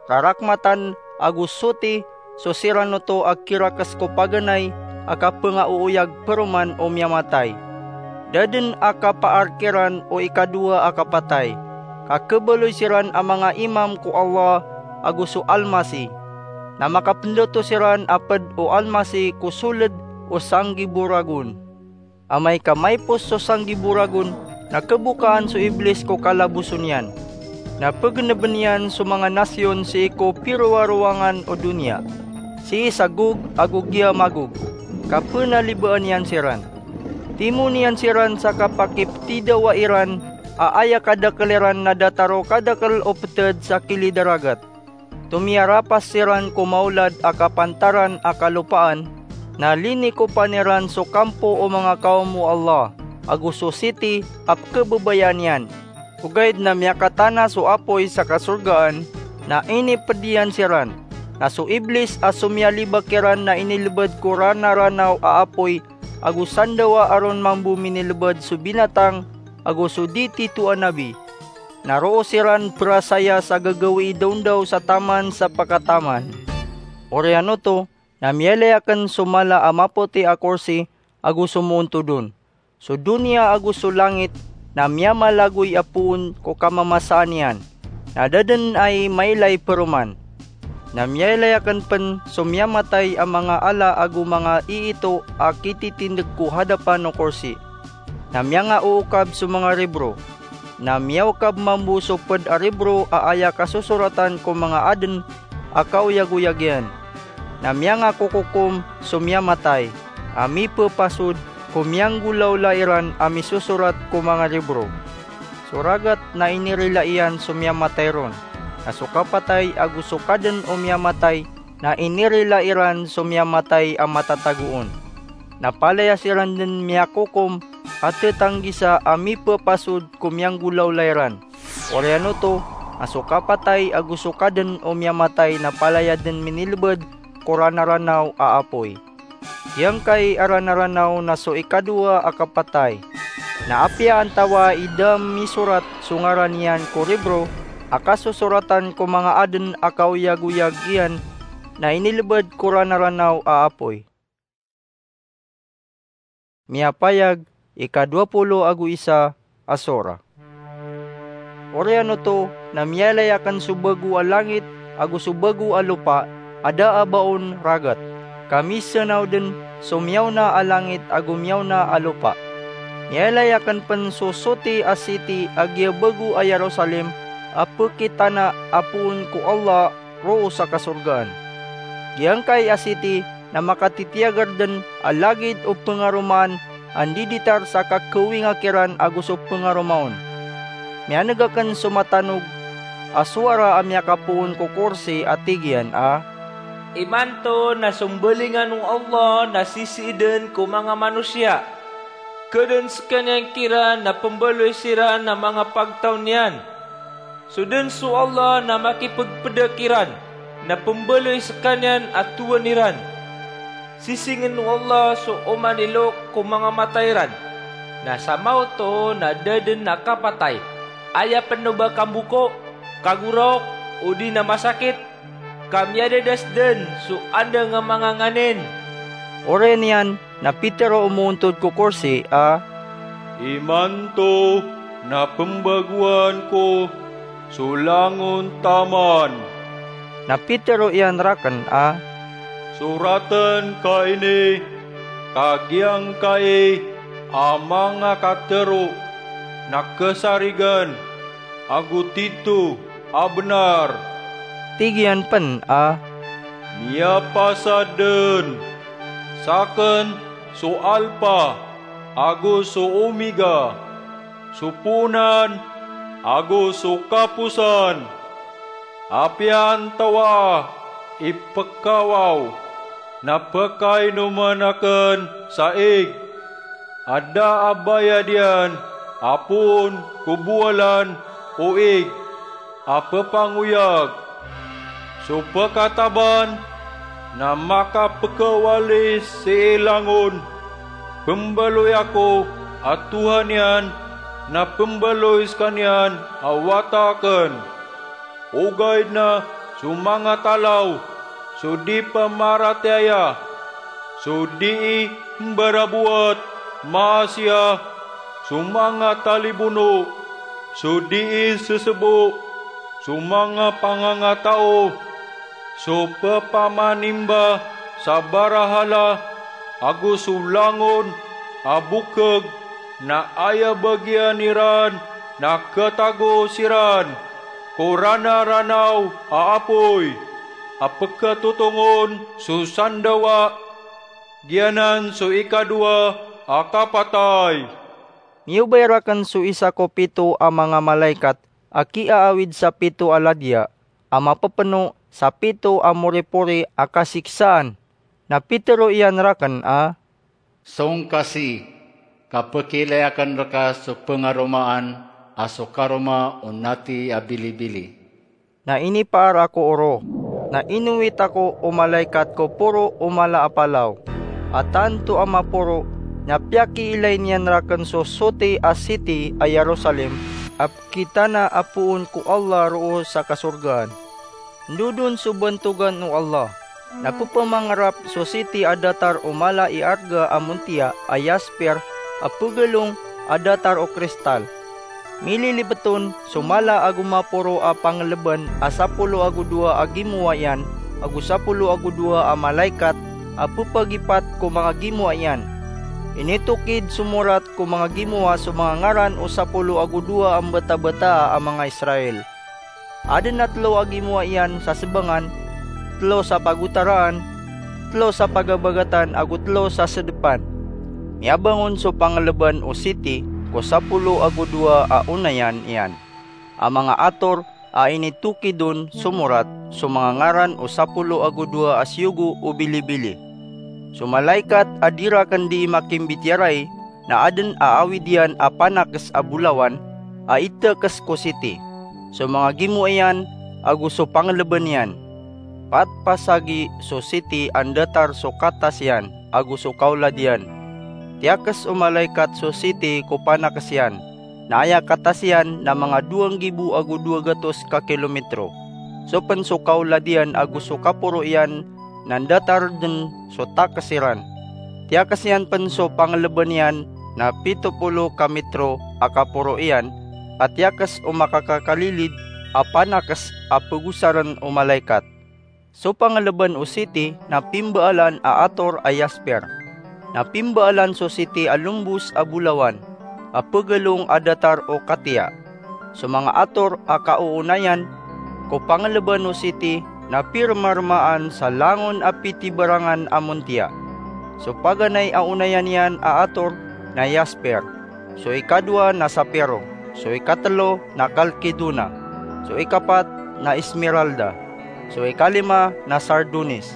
Rarakmatan ago soti so siran oto a kirakes ko paganay a kapengaooyag peroman o miyamatay. Da den a kapaar kiran o ikadowa a kapatay, ka kebaloy siran a manga imam ko Allah ago so Almasi. Na makapendato siran a ped o almasi ko soled o sanggibo ragon. Amay ka maipos so sanggibo ragon, na kebokaan so Iblis ko kalaboson iyan. Na pegeneben iyan so manga nasiyon sii ko pirowarowangan o doniya, sii sa Gog ago giya Magog, ka penalibaan iyan siran. Timoon iyan siran sa kapakipetidawa iran a aya kadakel iran na datar o kadakel o peted sa kilid a ragat. Tomiyarapas siran ko maolad a kapantaran a kalopaan, na linikopan iran so kampo o manga kaom o Allah, ago so siti a pekebabayaan iyan. Ogaid na miyakatana so apoy sa kasorgaan, na iniped iyan siran. Na so Iblis a somiyalibak iran na inilebed ko ranaranaw a apoy, ago sandawa a ron mambo minilebed so binatang ago so di tito a nabi. Na roo siran perasaya sa gagawii dawndaw sa taman sa pakataman. Oriyan oto, na miyailay aken so mala a mapoti a korsi ago so moontod on. So doniya ago so langit na miyamalagoy a poon ko kamamasaan iyan, na da den ai mailay peroman. Na miyailay aken pen so miyamatay a manga ala ago manga iito a kititindeg ko hadapan o korsi. Na miyangaookab so manga ribro. Na miyaokab mambo so ped a ribro a aya kasosoratan ko manga aden a kaoyagoyag iyan. Na miyangakokokom so miyamatay a mipepasod ko miyanggolawla iran a misosorat ko manga ribro. So ragat na inirila iyan so miyamatay ron, na so kapatay ago so kaden o miyamatay na inirila iran so miyamatay a matatago on. Na palaya siran den miyakokom a tetanggisa a mipepasod ko miyanggolawla iran. Oriyan oto, na so kapatay ago so kaden o miyamatay na palaya den minilebed ko ranaranaw a apoy. Giyangkai a ranaranaw na so ikadowa a kapatay. Na apiya antawaa i da misorat so ngaran iyan ko ribro a kasosoratan ko manga aden a kaoyagoyag iyan, na inilebed ko ranaranaw a apoy. Miyapayag, ikadowa polo ago isa a sora. Oriyan oto na miyailay aken so bago a langit ago so bago a lopa a da a ba on ragat, ka misanaw den so miyaona a langit ago miyaona a lopa. Miyailay aken pen so soti a siti a giya bago a Yerusalem a pekitana a poon ko Allah roo sa kasorgaan. Giyangkai a siti na makatitiyager den a lagid o pengaromaan a ndiditar sa kakawinga kiran ago so pengaroma on. Miyaneg aken so matanog a sowara a miyakapoon ko korsi a tig iyan a, "Imanto na sombalingan o Allah na sisiiden ko manga manosiya. Kaden sekaniyan kiran na pembaloy siran a manga pagtaw niyan. So den so Allah na makipegpeda kiran, na pembaloy sekaniyan a towan iran. Sisingen o Allah so oman i loks ko manga mata iran. Na samaoto na da den a kapatay, aya pen o ba kamboko, kagoraok, odi na masakit, ka miyadadas den so andang a manga nganin." Oriyan iyan na pitero o moontod ko korsi a, "Imanto na pembagoan ko so langon taman." Na pitero iyan raken a, "Soraten ka ini Ka giyangkai a manga katero na kesarigan ago tito a benar. Tig iyan pen a, miyapasad den, saken so Alpha ago so Omega, so poonan ago so kaposan. Apiya antawa i pekawaw na pekainomen aken sa ig a da a bayad iyan a poon ko bowalan o ig a pepangoyag. So pekataban na makapekawali sii langon. Pembaloy ako a Tohan iyan na pembaloy sekaniyan a wata aken. Ogaid na so manga talaw, so di pemaratiyaya, so dii mbarabowat, maasiya, so manga talibono, so dii sesebo, so manga pangangatao, so pepamanimba sa barahala, ago so langon a bokeg, na aya bagiyan iran na ketago siran ko ranaranaw a apoy a peketotongon so sandawa. Giyanan so ikadowa a kapatay. Miyobay raken so isa ko pito a manga malaikat a kiaawid sa pito a ladiya a mapepeno sa pito a moripori a kasiksaan. Na pitero iyan raken a, song ka sii, ka pekiilay aken reka so pengaromaan a so karoma o nati a bilibili. Na inipaar ako oro, na inowit ako o malaikat ko poro o mala a palaw a tanto a maporo, na piyakiilay niyan raken so soti a siti a Yerusalem a pekitana a poon ko Allah roo sa kasorgaan. Ndodon so bantogan o Allah. Na pepamangarap so siti a datar o mala i arga a montiya a yasper a pegalong a datar o kristal. Mililibet on so mala ago maporo a pangeleban a sapolo ago dowa a gimowa iyan ago sapolo ago dowa a malaikat a pepagipat ko manga gimowa iyan. Initokid so morat ko manga gimowa so manga ngaran o sapolo ago dowa a mbetabetaa a manga Israel. Aden a telo a gimowa iyan sa sebangan, telo sa pagotaraan, telo sa pagabagatan ago telo sa sedepan. Miyabangon so pangeleban o siti ko sapolo ago dowa a onayan iyan a manga ator a initokid on so morat so manga ngaran o sapolo ago dowa a siyogo o bilibili. So malaikat a di raken dii makimbitiyarai na aden a awid iyan a panakes a bolawan a itekes ko siti, so manga gimowa iyan ago so pangeleban iyan. Patpasagi so siti a ndatar so katas iyan ago so kaolad iyan. Tiyakes o malaikat so siti ko panakes iyan, na aya katas iyan na manga dowa nggibo ago dowa gatos ka kilometro. So pen so kaolad iyan ago so kaporo iyan na ndatar den so takes iran. Tiyakes iyan pen so pangeleban iyan na pito polo ka metro a kaporo iyan, a tiyakes o makakakalilid a panakes a pegosaren o malaikat. So pangeleban o siti na pimbaalan a ator a yasper. Na pimbaalan so siti a lombos a bolawan a pegalong a datar o katiya. So manga ator a kaoonayan ko pangeleban o siti na pirmarmaan sa langon a pitibarangan a montiya. So paganay a onayan iyan a ator na yasper, so ikadowa na sapiro, so ikatelo na kalkedona, so ikapat na esmeralda, so ikalima na sardonis,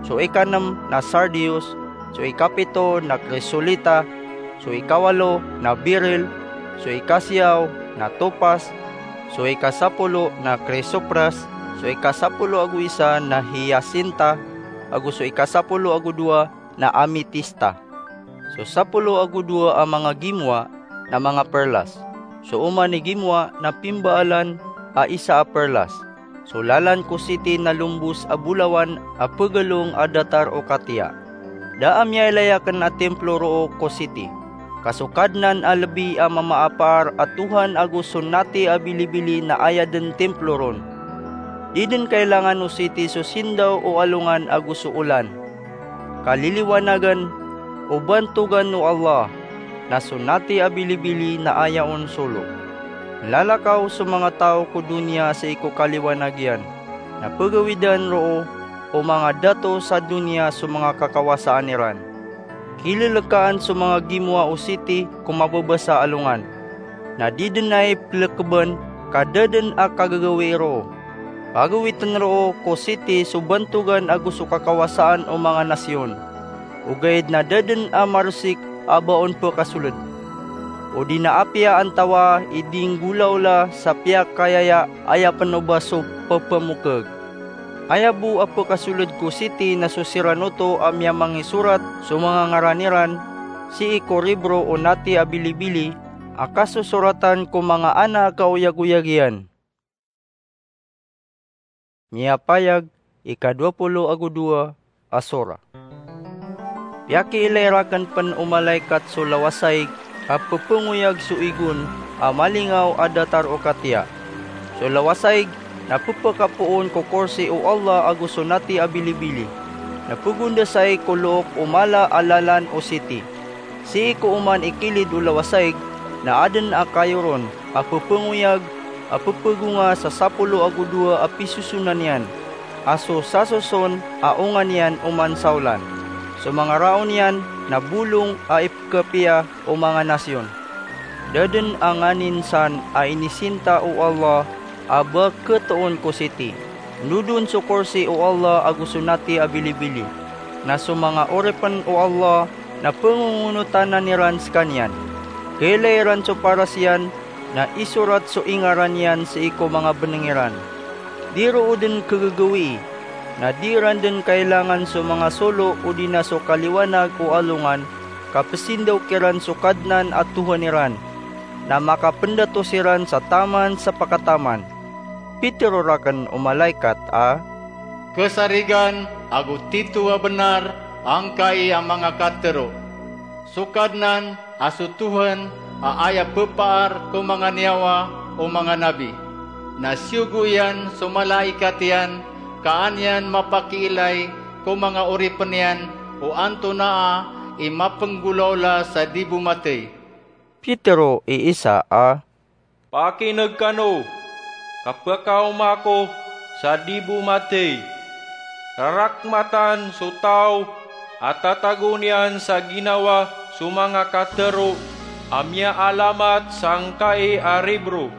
so ikanem na sardius, so ikapito na krisolita, so ikawalo na biril, so ikasiyaw na topas, so ikasapolo na krisopras, so ikasapolo ago isa na hiyasinta, ago so ikasapolo ago dowa na ametista. So sapolo ago dowa a manga gimowa na manga perlas. So oman i gimowa na pimbaalan a isa a perlas. So lalan ko siti na lombos a bolawan a pegalong a datar o katiya. Da a miyailay aken a templo roo ko siti, ka so Kadnan a lebi a mamaapaar a Tohan ago so nati a bilibili na aya den templo ron. Di den kailangan o siti so sindaw o alongan ago so olan. Kaliliwanagen o bantogan o Allah, na so nati a bilibili na aya on solo. Lalakaw so manga taw ko doniya sii ko kaliwanag iyan, na pegawidan roo o manga dato sa doniya so manga kakawasaan iran. Kilelekaan so manga gimowa o siti ko mabebasa a alongan, na di den ai pelekeban ka da den a kagagawii roo. Pagawiten roo ko siti so bantogan ago so kakawasaan o manga nasiyon, ogaid na da den a maresik a ba on pekasoled. Odi na apiya antawa i di nggolawla sa piyakayaya, aya penoba so pepemokeg. Aya bo a pekasoled ko siti na so siran oto a miyamangisorat so manga ngaran iran sii ko ribro o nati a bilibili a kasosoratan ko manga ana a kaoyagoyag iyan. Miyapayag, ikadowa polo ago dowa a sora. Piyakiilay raken pen o malaikat so lawasaig a pepengoyag so igon a malingaw a datar o katiya. So lawasaig na pepekapoon ko korsi o Allah ago so nati a bilibili, na pegondasai ko look o mala a lalan o siti. Sii ko oman i kilid o lawasaig na aden a kayo ron a pepengoyag a pepegonga sa sapolo ago dowa a pisosonan iyan, a so sasoson a onga niyan oman sa olan. So manga raon iyan na bolong a ipekapiya o manga nasiyon. Da den a nganin san a inisinta o Allah a ba ketoon ko siti. Ndodon so korsi o Allah ago so nati a bilibili. Na so manga oripen o Allah na pengongonotanan iran sekaniyan. Kailay iran so paras iyan na isorat so ingaran iyan sii ko manga beneng iran. Di roo den kegegewii, na di iran den kailangan so manga solo odi na so kaliwanag o alongan, ka pesindaw kiran so Kadnan a Tohan iran, na makapendato siran sa taman sa pakataman. Pitero raken o malaikat a, Kesarigan ago tito a benar angkai a manga katero. So Kadnan a so Tohan a aya pepaar ko manga niyawa o manga nabi. Na siyogo iyan so malaikat iyan ka an iyan mapakiilay ko manga oripen iyan o antonaa i mapenggolawla sa di bo matey. Pitero i isa a, Pakineg kano, ka pekaoma ako sa di bo matey. Rarakmatan so taw a tatago niyan sa ginawa so manga katero a miyaalamat sangkai a ribro.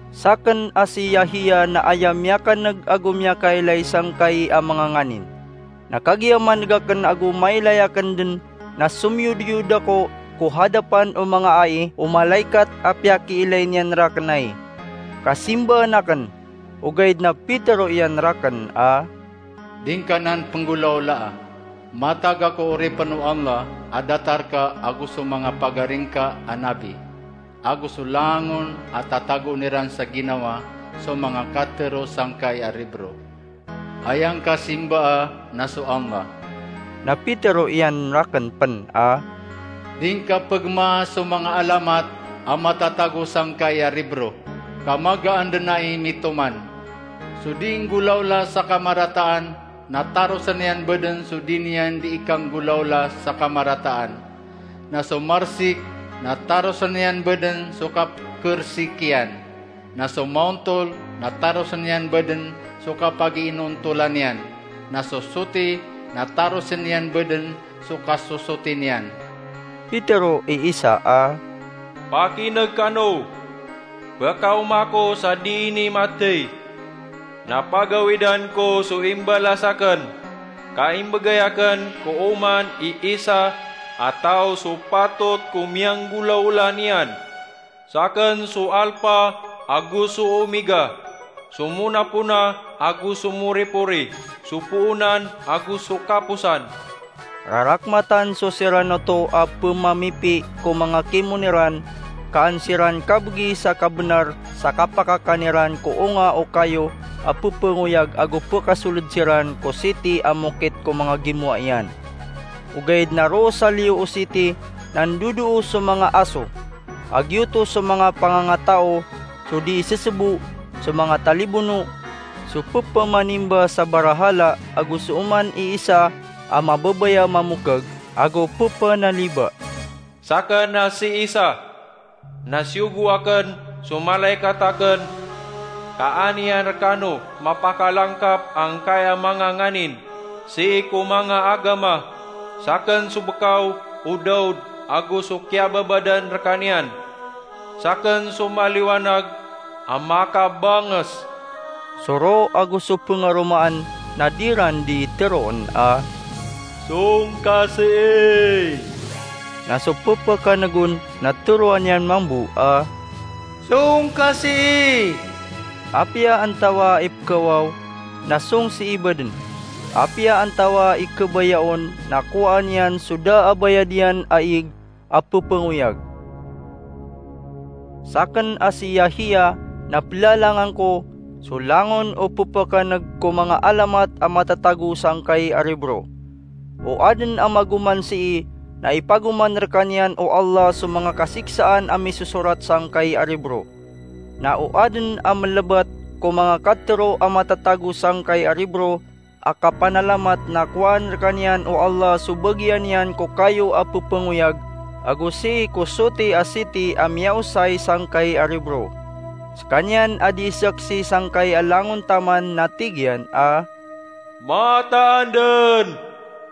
Saken a si Yahiya na aya miyakaneg ago miyakailay sangkai a manga nganin. Na kagiya maneg aken ago mailay aken den na somiyodiyod ako ko hadapan o manga ai o malaikat a piyakiilay niyan raken ai, ka simbaan aken. Ogaid na pitero iyan raken a, Di ngka nan penggolawlaa. Matag ako oripen o Allah a datar ka ago so manga pagaringka a nabi, ago so langon a tatagoon iran sa ginawa so manga katero sangkai a ribro. Aya ngka simbaa na so Allah. Na pitero iyan raken pen a, Di ngka pegmaa so manga alamat a matatago sangkai a ribro, ka magaan den ai mitoman. So di nggolawla sa kamarataan na tarosen iyan baden so di niyan di ikanggolawla sa kamarataan. Na so marsik na tarosen iyan baden so kapekersik iyan. Na so maontol na tarosen iyan baden so kapagiinontolan iyan. Na so soti na tarosen iyan baden so kasosoti niyan. Pitero i isa a, Pakineg kano, pekaoma ako sa di ini matey. Na pagawidan ko so imbalas aken, ka imbegay aken ko oman i isa a taw so patot ko miyanggolawla niyan. Saken so Alpa ago so Omega, so monapona ago so moripori, so poonan ago so kaposan. Rarakmatan so siran oto a pemamipi ko manga kimon iran, ka an siran kabegi sa kabenar sa kapakakan iran ko onga o kayo a pepengoyag ago pekasoled siran ko siti a mokit ko manga gimowa iyan. Ogaid na roo sa liyo o siti na ndodoo so manga aso, a giyoto so manga pangangatao, so di isesebo, so manga talibono, so pepamanimba sa barahala ago so oman i isa a mababaya mamokeg, ago pepanaliba, "Saken a si Isa, na siyogo aken so malaikat aken, ka an iyan rekano mapakalangkap angkaya manga nganin sii ko manga agama, saken so bekaw o Daud ago so kiyababadan rekaniyan. Saken so maliwanag a makabanges." So roo ago so pengaromaan na di ran di teroon a, "Song ka sii?" Na so pepakanegon na teroan iyan mambo a, "Song ka sii?" Apiya antawaa i pekawaw, na song sii baden. Apiya antawaa i kebayaon, na kowaan iyan so da a bayad iyan a ig a pepengoyag. Saken a si Yahiya na pelalangan ko so langon o pepakaneg ko manga alamat a matatago sangkai a ribro. O aden a magoman sii na ipagoman rekaniyan o Allah so manga kasiksaan a misosorat sangkai a ribro. Na o aden a melebat ko manga katero a matatago sangkai a ribro a kapanalamat na kowaan rekaniyan o Allah so bagian iyan ko kayo a pepengoyag, ago sii ko soti a siti a miyaosay sangkai a ribro. Sekaniyan a di saksi sangkai a langon taman na tig iyan a, "Mataan den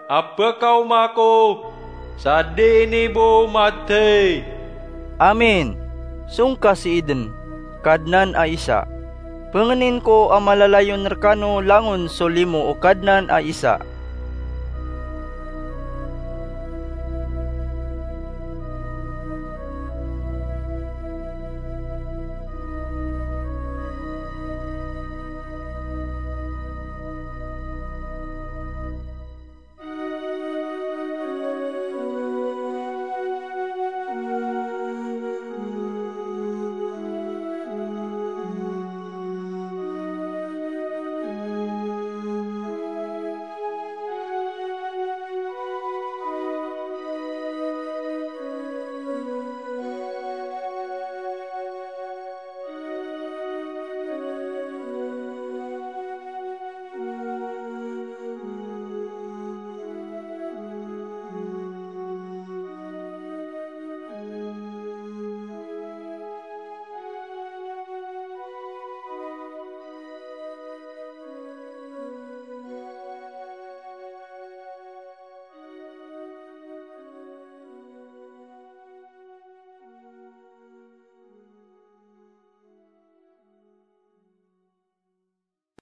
a pekaoma ko sa di ini bo mathay." "Amin, song ka sii den, Kadnan a Isa. Pengenin ko a malalayon rekano langon so limo o Kadnan a Isa."